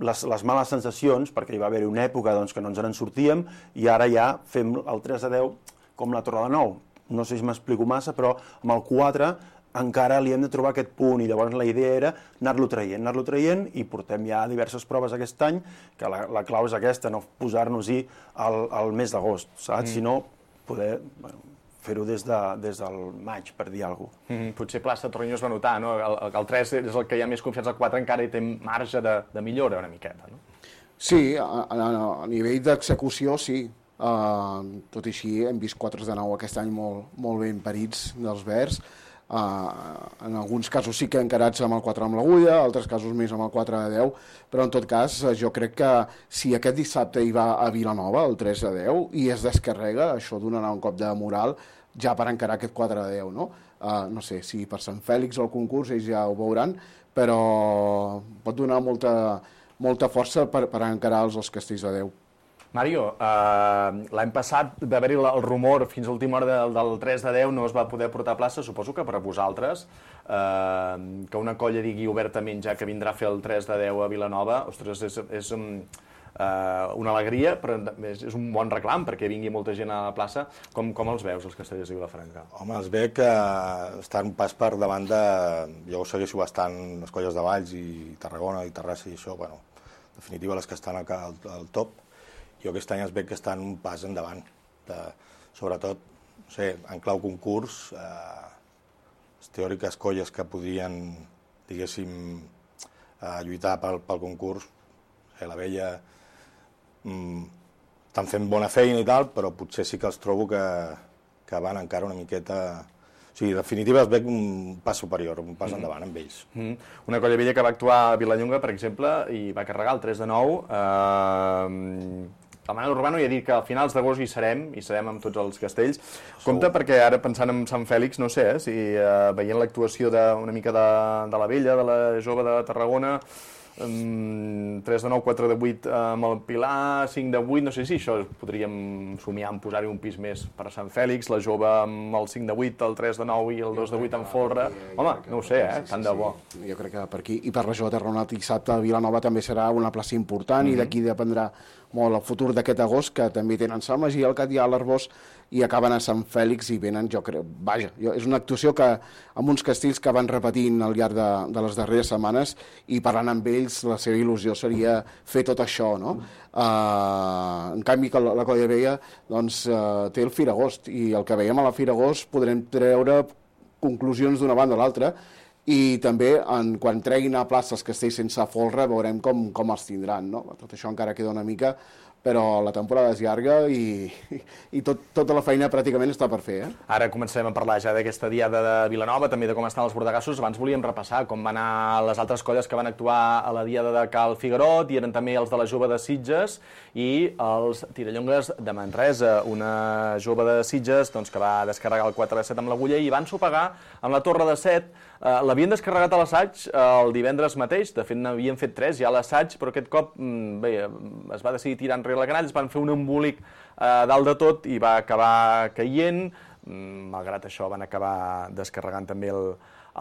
les, les males sensacions, perquè hi va haver una època doncs, que no ens en sortíem, i ara ja fem el tres a deu com la Torre de Nou. No sé si m'explico massa, però amb el quatre encara li hem de trobar aquest punt, i llavors la idea era anar-lo traient, anar-lo traient, i portem ja diverses proves aquest any, que la, la clau és aquesta, no posar-nos-hi al, al mes d'agost, saps? Mm. Sinó poder bueno, fer-ho des, de, des del maig, per dir alguna cosa. Mm-hmm. Potser Plaça Torrelló es va notar, no? El, el tres és el que hi ha més confiança, el quatre encara hi té marge de, de millora una miqueta, no? Sí, a, a, a nivell d'execució, sí. Uh, tot i així hem vist quatre de nou aquest any molt, molt ben parits dels verds. Uh, en alguns casos sí que encarats amb el quatre amb l'agulla, altres casos més amb el quatre de deu, però en tot cas jo crec que si aquest dissabte hi va a Vilanova el tres a deu i es descarrega, això donarà un cop de moral ja per encarar aquest quatre a deu, no? Uh, no sé si per Sant Fèlix o el concurs ells ja ho veuran, però pot donar molta, molta força per, per encarar els, els castells de deu. Mario, eh, l'any passat va haver-hi el rumor fins a l'última hora del, del tres de deu, no es va poder portar a plaça, suposo que per a vosaltres, eh, que una colla digui obertament ja que vindrà a fer el tres de deu a Vilanova, ostres, és, és um, eh, una alegria, però és, és un bon reclam perquè vingui molta gent a la plaça. Com, com els veus, els castellers de Vilafranca? Home, els veig que estan pas per davant de... Jo ho segueixo bastant, les colles de Valls i Tarragona i Terrassa i això, bueno, en definitiva les que estan al, al top. Jo aquest any es veig que estan un pas endavant, de, sobretot, no sé, en clau concurs, eh, les teòriques colles que podrien, diguéssim, eh, lluitar pel, pel concurs, eh, la Vella, mm, estan fent bona feina i tal, però potser sí que els trobo que, que van encara una miqueta... O sigui, en definitiva es veig un pas superior, un pas mm. endavant amb ells. Mm. Una colla vella que va actuar a Vilallonga, per exemple, i va carregar el tres de nou. Eh... El Manel Urbano ja ha dit que a finals d'agost hi serem, hi serem amb tots els castells. Compte perquè ara pensant en Sant Fèlix, no sé, eh, si eh, veient l'actuació una mica de, de la vella, de la jove de Tarragona, um, tres de nou, quatre de vuit amb el Pilar, cinc de vuit, no sé si això podríem somiar en posar-hi un pis més per a Sant Fèlix, la jove amb el cinc de vuit, el tres de nou i el dos de vuit amb folre. Home, no ho sé, eh, tant de bo. Jo crec que per aquí, i per la jove de Tarragona dissabte a Vilanova també serà una plaça important mm-hmm. i d'aquí dependrà molt el futur d'aquest agost, que també tenen Sant Magí, el Catllà, l'Arbós, i acaben a Sant Fèlix i venen, jo crec, vaja, jo, és una actuació que amb uns castells que van repetint al llarg de, de les darreres setmanes i parlant amb ells, la seva il·lusió seria fer tot això, no? Uh, en canvi, que la, la Colla Vella doncs, uh, té el Firagost, i el que veiem a la Firagost podrem treure conclusions d'una banda a l'altra, i també en, quan treguin a plaça els castells sense folre veurem com, com els tindran, no? Tot això encara queda una mica, però la temporada és llarga i, i tot, tota la feina pràcticament està per fer. Eh? Ara comencem a parlar ja d'aquesta diada de Vilanova, també de com estan els bordegassos. Abans volíem repassar com van anar les altres colles que van actuar a la diada de Cal Figuerot, i eren també els de la jove de Sitges i els tirallongues de Manresa, una jove de Sitges doncs, que va descarregar el quatre de set amb l'agulla i van sopegar amb la Torre de set. Uh, l'havien descarregat a l'assaig uh, el divendres mateix, de fet n'havien fet tres ja a l'assaig, però aquest cop mm, bé, es va decidir tirar enrere la canalla, es van fer un embolic uh, dalt de tot i va acabar caient. Mm, malgrat això van acabar descarregant també el,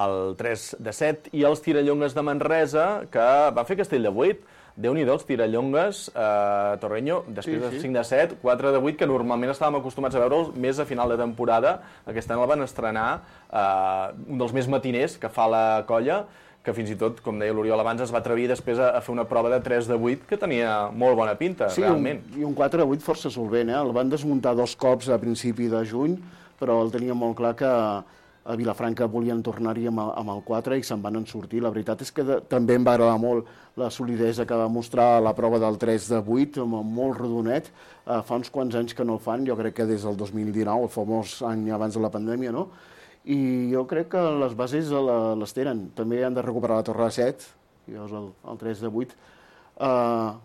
el tres de set, i els tirallongues de Manresa, que van fer castell de vuit. Déu-n'hi-do, els tirallongues, eh, Torreño, després sí, sí. de cinc de set, quatre de vuit, que normalment estàvem acostumats a veure'ls més a final de temporada. Aquest any el van estrenar, eh, un dels més matiners que fa la colla, que fins i tot, com deia l'Oriol abans, es va atrevir després a fer una prova de tres de vuit que tenia molt bona pinta, sí, realment. Sí, i un quatre de vuit força solvent, eh? El van desmuntar dos cops a principi de juny, però el tenia molt clar que a Vilafranca volien tornar-hi amb, amb el quatre i se'n van en sortir. La veritat és que de, també em va agradar molt la solidesa que va mostrar la prova del tres de vuit, molt rodonet. Uh, fa uns quants anys que no el fan, jo crec que des del dos mil dinou, el famós any abans de la pandèmia, no? I jo crec que les bases les tenen. També han de recuperar la Torre de Set, llavors el, el tres de vuit. Uh,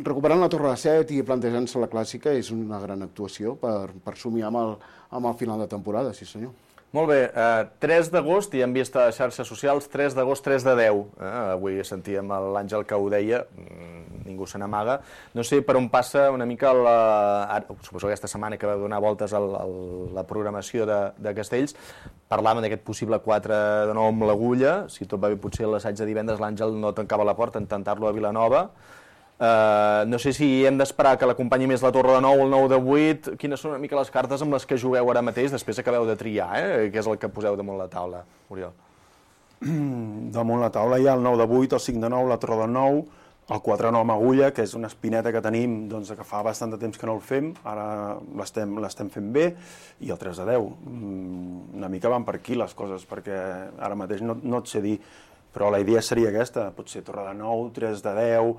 recuperant la Torre de Set i plantejant-se la clàssica és una gran actuació per, per somiar amb el, amb el final de temporada, sí senyor. Molt bé, eh, tres d'agost, i hem vist a xarxes socials, tres d'agost, tres de deu. Eh? Avui sentíem l'Àngel que ho deia, ningú se n'amaga. No sé per on passa una mica, la, suposo aquesta setmana que va donar voltes a la programació de, de Castells, parlàvem d'aquest possible quatre de nou amb l'Agulla, si tot va bé potser l'assaig de divendres l'Àngel no tancava la porta en tentar-lo a Vilanova. Uh, no sé si hem d'esperar que l'acompanyi més la Torre de nou o el nou de vuit. Quines són una mica les cartes amb les que jugueu ara mateix, després acabeu de triar, eh? Què és el que poseu damunt la taula, Oriol? Damunt la taula hi ha el nou de vuit, el cinc de nou, la Torre de nou, el quatre de nou amb Agulla, que és una espineta que tenim doncs, que fa bastant de temps que no el fem, ara l'estem l'estem fent bé, i el tres de deu. Una mica van per aquí les coses, perquè ara mateix no, no et sé dir, però la idea seria aquesta, potser Torre de nou, tres de deu,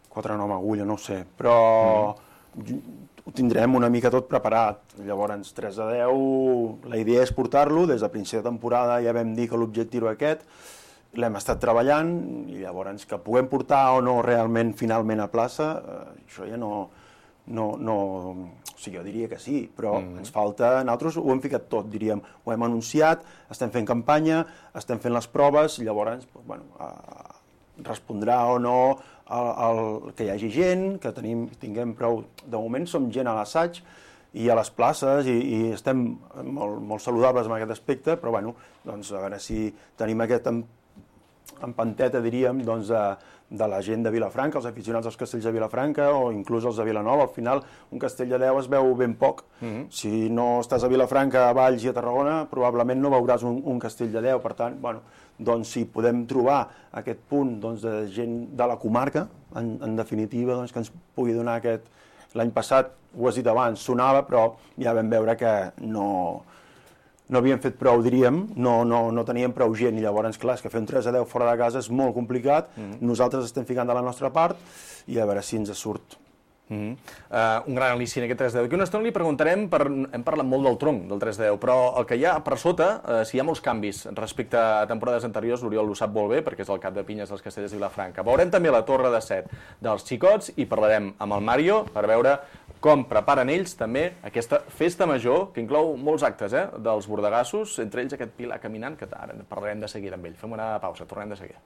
quatre de nou amb Agulla, no ho sé, però mm. ho tindrem una mica tot preparat. Llavors, tres de deu, la idea és portar-lo, des de principi de temporada ja vam dir que l'objectiu era aquest, l'hem estat treballant, i llavors que puguem portar o no realment finalment a plaça, eh, això ja no, no, no... O sigui, jo diria que sí, però mm. ens falta... Nosaltres ho hem ficat tot, diríem, ho hem anunciat, estem fent campanya, estem fent les proves, llavors, bueno, eh, respondrà o no el, el, que hi hagi gent, que tenim, tinguem prou... De moment som gent a l'assaig i a les places i, i estem molt, molt saludables en aquest aspecte, però bueno, doncs a veure si tenim aquest empanteta, diríem, doncs, de, de la gent de Vilafranca, els aficionats dels castells de Vilafranca o inclús els de Vilanova. Al final, un castell de deu es veu ben poc. Mm-hmm. Si no estàs a Vilafranca, a Valls i a Tarragona, probablement no veuràs un, un castell de deu. Per tant, bueno, doncs si podem trobar aquest punt doncs, de gent de la comarca, en, en definitiva, doncs, que ens pugui donar aquest... L'any passat, ho has dit abans, sonava, però ja vam veure que no, no havíem fet prou, diríem, no, no, no teníem prou gent, i llavors, clar, és que fer un tres a deu fora de casa és molt complicat, mm-hmm. Nosaltres estem ficant de la nostra part, i a veure si ens surt. Mm-hmm. uh, un gran al·lici en aquest tres de deu. Aquí una estona li preguntarem, per, hem parlat molt del tronc del tres de deu, però el que hi ha per sota, uh, si hi ha molts canvis respecte a temporades anteriors, l'Oriol ho sap molt bé perquè és el cap de pinyes dels Castellers de Vilafranca. Veurem també la Torre de Set dels xicots i parlarem amb el Mario per veure com preparen ells també aquesta festa major, que inclou molts actes, eh, dels bordegassos, entre ells aquest Pilar caminant, que ara parlarem de seguida amb ell. Fem una pausa, tornem de seguida.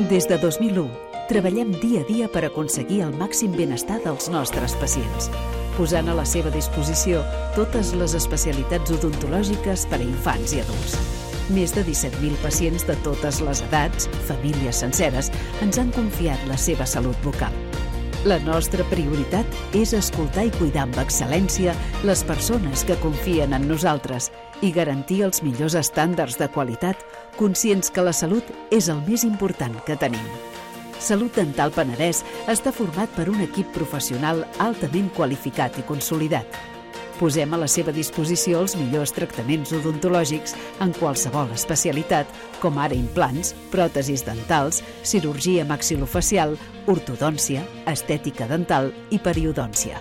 Des de dos mil u, treballem dia a dia per aconseguir el màxim benestar dels nostres pacients, posant a la seva disposició totes les especialitats odontològiques per a infants i adults. Més de disset mil pacients de totes les edats, famílies senceres, ens han confiat la seva salut bucal. La nostra prioritat és escoltar i cuidar amb excel·lència les persones que confien en nosaltres i garantir els millors estàndards de qualitat, conscients que la salut és el més important que tenim. Salut Dental Penedès està format per un equip professional altament qualificat i consolidat. Posem a la seva disposició els millors tractaments odontològics en qualsevol especialitat, com ara implants, pròtesis dentals, cirurgia maxilofacial, ortodòncia, estètica dental i periodòncia.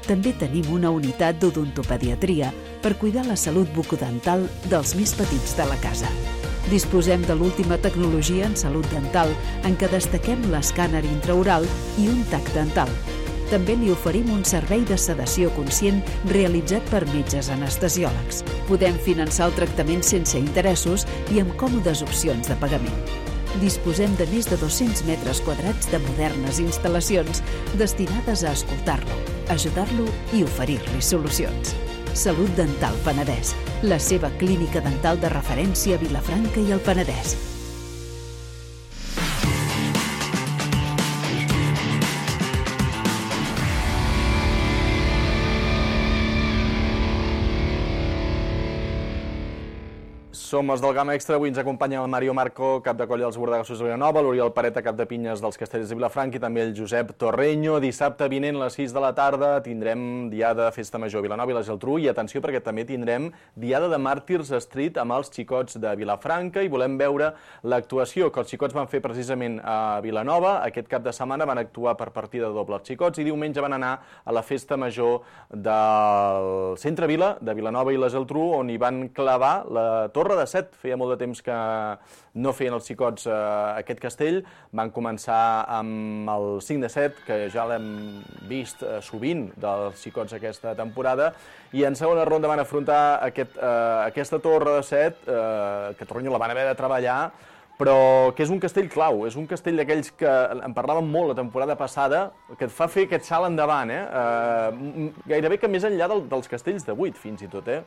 També tenim una unitat d'odontopediatria per cuidar la salut bucodental dels més petits de la casa. Disposem de l'última tecnologia en salut dental, en què destaquem l'escàner intraoral i un tac dental. També li oferim un servei de sedació conscient realitzat per metges anestesiòlegs. Podem finançar el tractament sense interessos i amb còmodes opcions de pagament. Disposem de més de dos-cents metres quadrats de modernes instal·lacions destinades a escoltar-lo, ajudar-lo i oferir-li solucions. Salut Dental Penedès, la seva clínica dental de referència a Vilafranca i el Penedès. som els del Gamma Extra. Avui ens acompanya el Mario Marco, cap de colla dels Bordegassos de Vilanova, l'Oriol Pareta, cap de pinyes dels Castellers de Vilafranca, i també el Josep Torreño. Dissabte vinent a les sis de la tarda tindrem diada Festa Major a Vilanova i la Geltrú, i atenció perquè també tindrem diada de Màrtirs Street amb els xicots de Vilafranca, i volem veure l'actuació que els xicots van fer precisament a Vilanova. Aquest cap de setmana van actuar per partida doble els xicots i diumenge van anar a la Festa Major del Centre Vila, de Vilanova i la Geltrú, on hi van clavar la Torre de Set. Feia molt de temps que no feien els xicots eh, aquest castell. Van començar amb el cinc de set, que ja l'hem vist eh, sovint dels xicots aquesta temporada, i en segona ronda van afrontar aquest, eh, aquesta Torre de Set, eh, que Torreño la van haver de treballar, però que és un castell clau, és un castell d'aquells que en parlàvem molt la temporada passada, que et fa fer aquest salt endavant, eh? eh gairebé que més enllà del, dels castells de vuit, fins i tot, eh?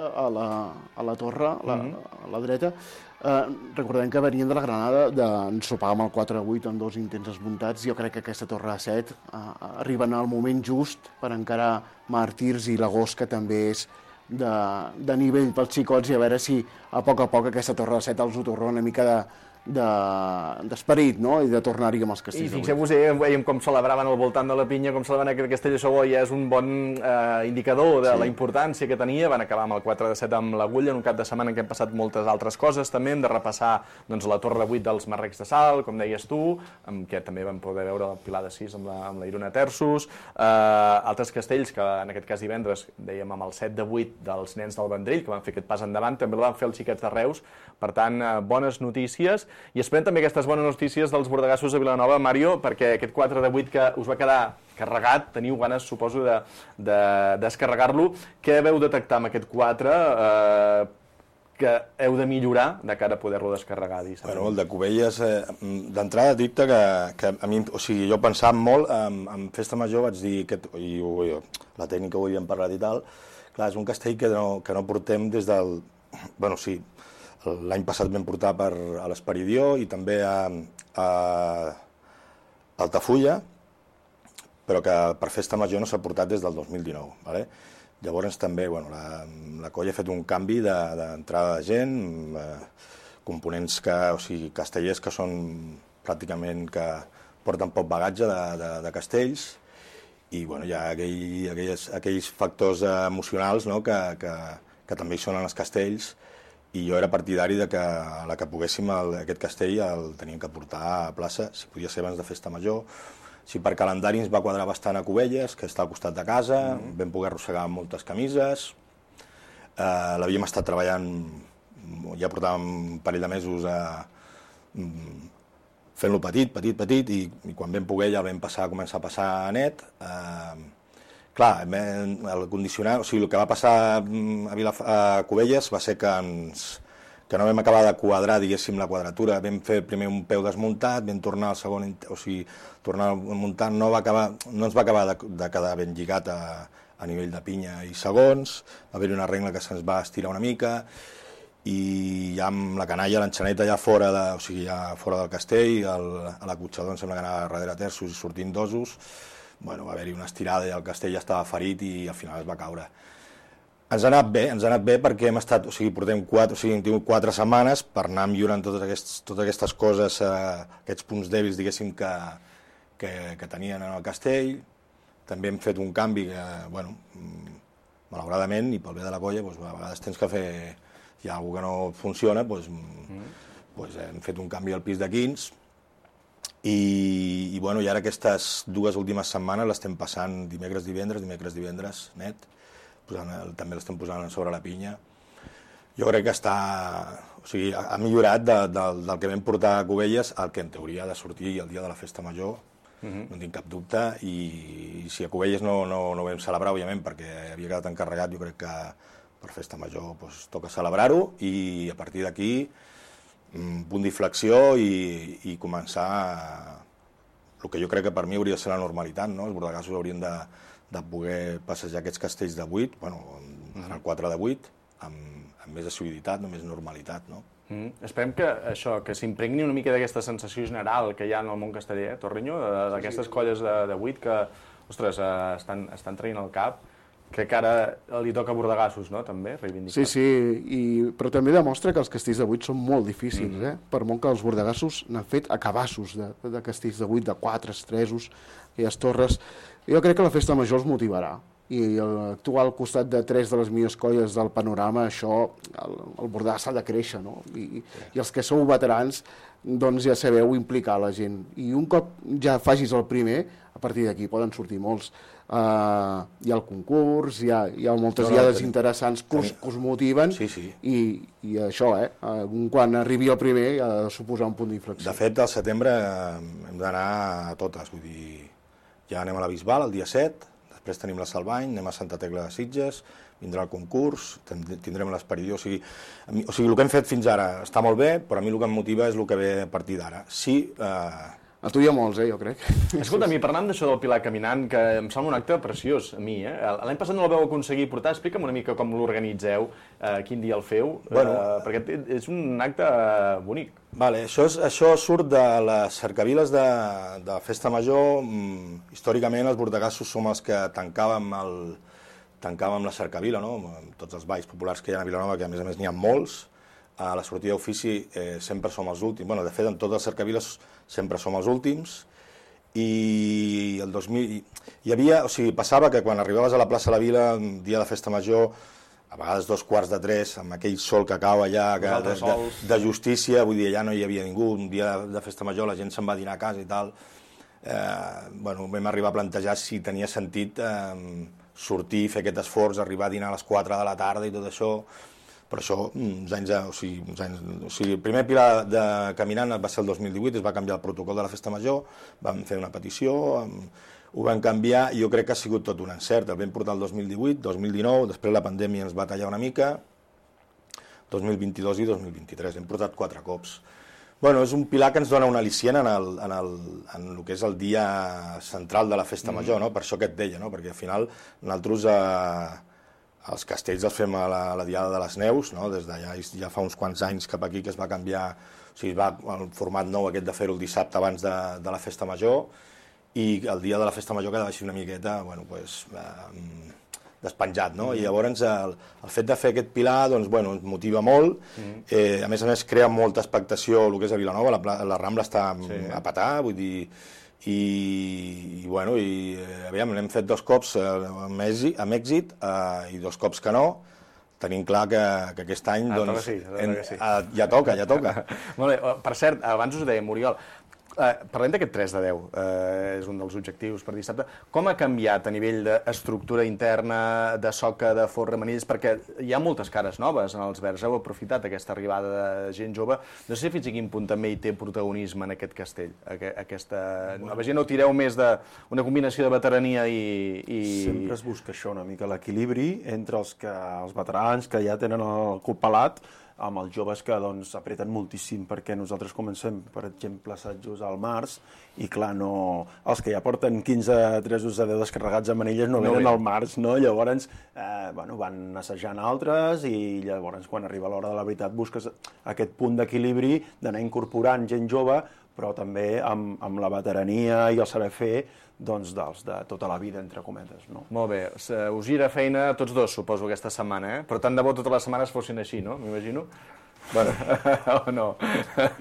A la, a la torre, a la, a la dreta. Eh, recordem que venien de la Granada, d'ensopar amb el quatre a vuit amb dos intents esmuntats. Jo crec que aquesta torre a set eh, arriba en el moment just per encarar Màrtirs i l'Agost, que també és de, de nivell pels xicots, i a veure si a poc a poc aquesta torre a set els ho torna una mica de d'esperit, no? I de tornar-hi amb els castells. I fixeu-vos, eh, veiem com celebraven al voltant de la pinya, com celebraven aquest castell, això ja és un bon eh, indicador de sí. la importància que tenia. Van acabar amb el quatre de set amb l'Agulla, en un cap de setmana en què han passat moltes altres coses. També hem de repassar doncs, la torre de vuit dels Marrecs de Salt, com deies tu, amb què també vam poder veure el Pilar de sis amb la, amb la Irona Terços, eh, altres castells que en aquest cas divendres dèiem amb el set de vuit dels nens del Vendrell, que van fer aquest pas endavant, també el van fer els xiquets de Reus. Per tant, eh, bones notícies. I esperem també aquestes bones notícies dels Bordegassos de Vilanova, Mario, perquè aquest quatre de vuit que us va quedar carregat, teniu ganes, suposo, de, de descarregar-lo. Què veu detectar amb aquest quatre eh, que heu de millorar de cara a poder-lo descarregar? Bueno, el de Cubelles, eh, d'entrada dir-te que, que a mi, o sigui, jo pensava molt, en, en Festa Major vaig dir, que, i jo, la tècnica ho havíem parlat i tal, clar, és un castell que no, que no portem des del... Bueno, sí, l'any passat vam portar per a l'Esperidió i també a, a Altafulla, però que per Festa Major no s'ha portat des del dos mil dinou. Vale? Llavors també bueno, la, la colla ha fet un canvi d'entrada de, de gent, eh, components que, o sigui, castellers que són pràcticament que porten poc bagatge de, de, de castells, i bueno, hi ha aquell, aquells, aquells factors emocionals, no? que, que, que també hi són en els castells, i jo era partidari de que a la que poguéssim el, aquest castell el teníem que portar a plaça, si podia ser abans de Festa Major. Si per calendari ens va quadrar bastant a Cubelles, que està al costat de casa, mm-hmm. vam poder arrossegar moltes camises, eh, l'havíem estat treballant, ja portàvem un parell de mesos a, fent-lo petit, petit, petit, i, i quan vam poder ja el vam passar, començar a passar net. Eh, Clar, el condicionar, o sigui, el que va passar a, Vilaf a Cubelles va ser que, ens, que no vam acabar de quadrar, diguéssim, la quadratura. Vam fer primer un peu desmuntat, vam tornar al segon, o sigui, tornar muntant, no, va acabar, no ens va acabar de, de quedar ben lligat a, a nivell de pinya i segons, va haver-hi una regla que se'ns va estirar una mica, i ja amb la canalla, l'enxaneta ja fora, de, o sigui, ja fora del castell, el, a la cotxador em sembla que anava darrere terços i sortint dosos. Bueno, va haver-hi una estirada i el castell ja estava ferit i al final es va caure. Ens ha anat bé, ens ha anat bé perquè hem estat, o sigui, portem quatre, o sigui, hem tingut quatre setmanes per anar millorant totes aquestes, totes aquestes coses, eh, aquests punts dèbils, diguéssim, que, que, que tenien en el castell. També hem fet un canvi que, bueno, malauradament, i pel bé de la colla, doncs, a vegades tens que fer, hi ha alguna que no funciona, doncs, mm. doncs hem fet un canvi al pis de quins, I, i, bueno, i ara aquestes dues últimes setmanes l'estem passant dimecres, divendres, dimecres, divendres, net, posant, també l'estem posant sobre la pinya. Jo crec que està, o sigui, ha millorat de, de, del que vam portar a Cubelles al que en teoria ha de sortir el dia de la Festa Major, uh-huh. no en tinc cap dubte, i, i si a Cubelles no, no, no vam celebrar, òbviament, perquè havia quedat encarregat, jo crec que per Festa Major doncs, toca celebrar-ho, i a partir d'aquí un punt d'inflexió i, i començar a... el que jo crec que per mi hauria de ser la normalitat, no? Els bordegassos haurien de, de poder passejar aquests castells de vuit, bueno, en el quatre de vuit, amb, amb més assiduïtat, amb més normalitat, no? Mm. Esperem que això, que s'impregni una mica d'aquesta sensació general que hi ha en el món casteller, eh, Torreño, d'aquestes colles de, de vuit que, ostres, estan, estan traient el cap, Crec que ara li toca Bordegassos, no?, també, reivindicar. Sí, sí, i... però també demostra que els castells de vuit són molt difícils, mm. eh? Per molt que els Bordegassos n'han fet acabassos de, de castells de vuit, de quatre, estresos, aquelles torres. Jo crec que la festa major els motivarà. I actuar al costat de tres de les millors colles del panorama, això, el, el Bordegas s'ha de créixer, no? I, i els que sou veterans, doncs ja sabeu implicar la gent. I un cop ja facis el primer, a partir d'aquí poden sortir molts. Uh, hi ha el concurs, hi ha, hi ha moltes no, no, diades tenim, interessants que us, que us motiven, sí, sí. I, i això, eh, uh, quan arribi el primer ha de suposar un punt d'inflexió. De fet, al setembre hem d'anar a totes, vull dir, ja anem a la Bisbal el dia set, després tenim la Salvany, anem a Santa Tecla de Sitges, vindrà el concurs, tindrem l'Esperidió, o sigui, o sigui, el que hem fet fins ara està molt bé, però a mi el que em motiva és el que ve a partir d'ara. Sí, eh, a tu hi ha molts, eh, jo crec. Escolta, a mi, parlant d'això del Pilar caminant, que em sembla un acte preciós, a mi, eh? L'any passat no el vau aconseguir portar, explica'm una mica com l'organitzeu, eh, quin dia el feu, bueno, eh, perquè és un acte bonic. Vale, això, és, això surt de les cercaviles de, de Festa Major. Històricament, els bordegassos som els que tancàvem, el, tancàvem la cercavila, no? Tots els balls populars que hi ha a Vilanova, que a més a més n'hi ha molts. A la sortida d'ofici eh, sempre som els últims. Bueno, de fet, en totes les cercaviles sempre som els últims. I el dos mil... Hi havia... O sigui, passava que quan arribaves a la plaça de la Vila, un dia de Festa Major, a vegades dos quarts de tres, amb aquell sol que cau allà, que, de, de, de justícia, vull dir, allà no hi havia ningú. Un dia de Festa Major la gent se'n va dinar a casa i tal. Eh, bueno, vam arribar a plantejar si tenia sentit eh, sortir, fer aquest esforç, arribar a dinar a les quatre de la tarda i tot això. Però això, uns anys, o sigui, uns anys, o sigui, el primer Pilar de caminant va ser el dos mil divuit, es va canviar el protocol de la Festa Major, vam fer una petició, ho vam canviar i jo crec que ha sigut tot un encert. El vam portar el dos mil divuit, dos mil dinou, després la pandèmia ens va tallar una mica, dos mil vint-i-dos i dos mil vint-i-tres, hem portat quatre cops. Bueno, és un pilar que ens dona un al·licient en el, en el, en el que és el dia central de la Festa Major, no? Per això que et deia, no? Perquè al final nosaltres... Eh, els castells els fem a la, a la Diada de les Neus, no? Des de ja, ja fa uns quants anys cap aquí que es va canviar, o sigui, va el format nou aquest de fer-ho el dissabte abans de, de la Festa Major, i el dia de la Festa Major quedava així una miqueta, bueno, pues, eh, despenjat, no? I llavors el, el fet de fer aquest pilar, doncs, bueno, ens motiva molt, eh, a més a més crea molta expectació el que és a Vilanova, la, la Rambla està sí. a petar, vull dir, i, i bueno, i eh, aviam, n'hem fet dos cops eh, amb èxit, amb èxit eh, i dos cops que no. Tenim clar que, que aquest any, ah, doncs, sí, en, sí. eh, ja toca, ja toca. Molt bé, per cert, abans us ho deia, Muriol, eh, parlem d'aquest tres de deu, eh, és un dels objectius per dissabte. Com ha canviat a nivell d'estructura interna, de soca, de forra, manilles? Perquè hi ha moltes cares noves en els verds, heu aprofitat aquesta arribada de gent jove. No sé fins a quin punt també hi té protagonisme en aquest castell, aquesta nova gent, o tireu més d'una combinació de veterania i, i... Sempre es busca això, una mica l'equilibri entre els, que, els veterans que ja tenen el cul pelat, amb els joves que doncs, apreten moltíssim, perquè nosaltres comencem, per exemple, assajos al març, i clar, no, els que ja porten quinze, tres de deu descarregats a manilles no, no venen al març, no? Llavors eh, bueno, van assajant altres, i llavors quan arriba l'hora de la veritat busques aquest punt d'equilibri d'anar incorporant gent jove, però també amb, amb la veterania i el saber fer doncs, dels de tota la vida, entre cometes. No? Molt bé. Us gira feina a tots dos, suposo, aquesta setmana, eh? Però tant de bo totes les setmanes fossin així, no? M'imagino. Bueno, o no,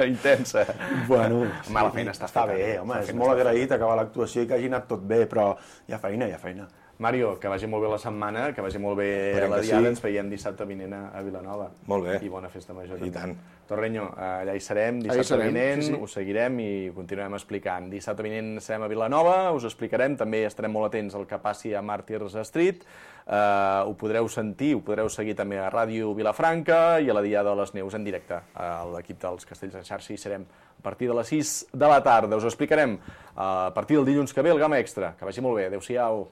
intensa. Bueno, mala feina està està bé, home, és molt agraït acabar l'actuació i que hagi anat tot bé, però hi ha feina, hi ha feina. Mario, que vagi molt bé la setmana, que vagi molt bé Esperem la diada, sí. Ens veiem dissabte vinent a Vilanova. Molt bé. I bona festa major. I tant. Torreño, allà hi serem, dissabte serem, vinent, sí, sí. Us seguirem i continuem explicant. Dissabte vinent serem a Vilanova, us explicarem, també estarem molt atents al que passi a Martyrs Street, uh, ho podreu sentir, ho podreu seguir també a Ràdio Vilafranca i a la Diada de les Neus en directe. A l'equip dels Castells en xarxa hi serem a partir de les sis de la tarda. Us explicarem uh, a partir del dilluns que ve el Gamma Extra. Que vagi molt bé. Adéu-siau.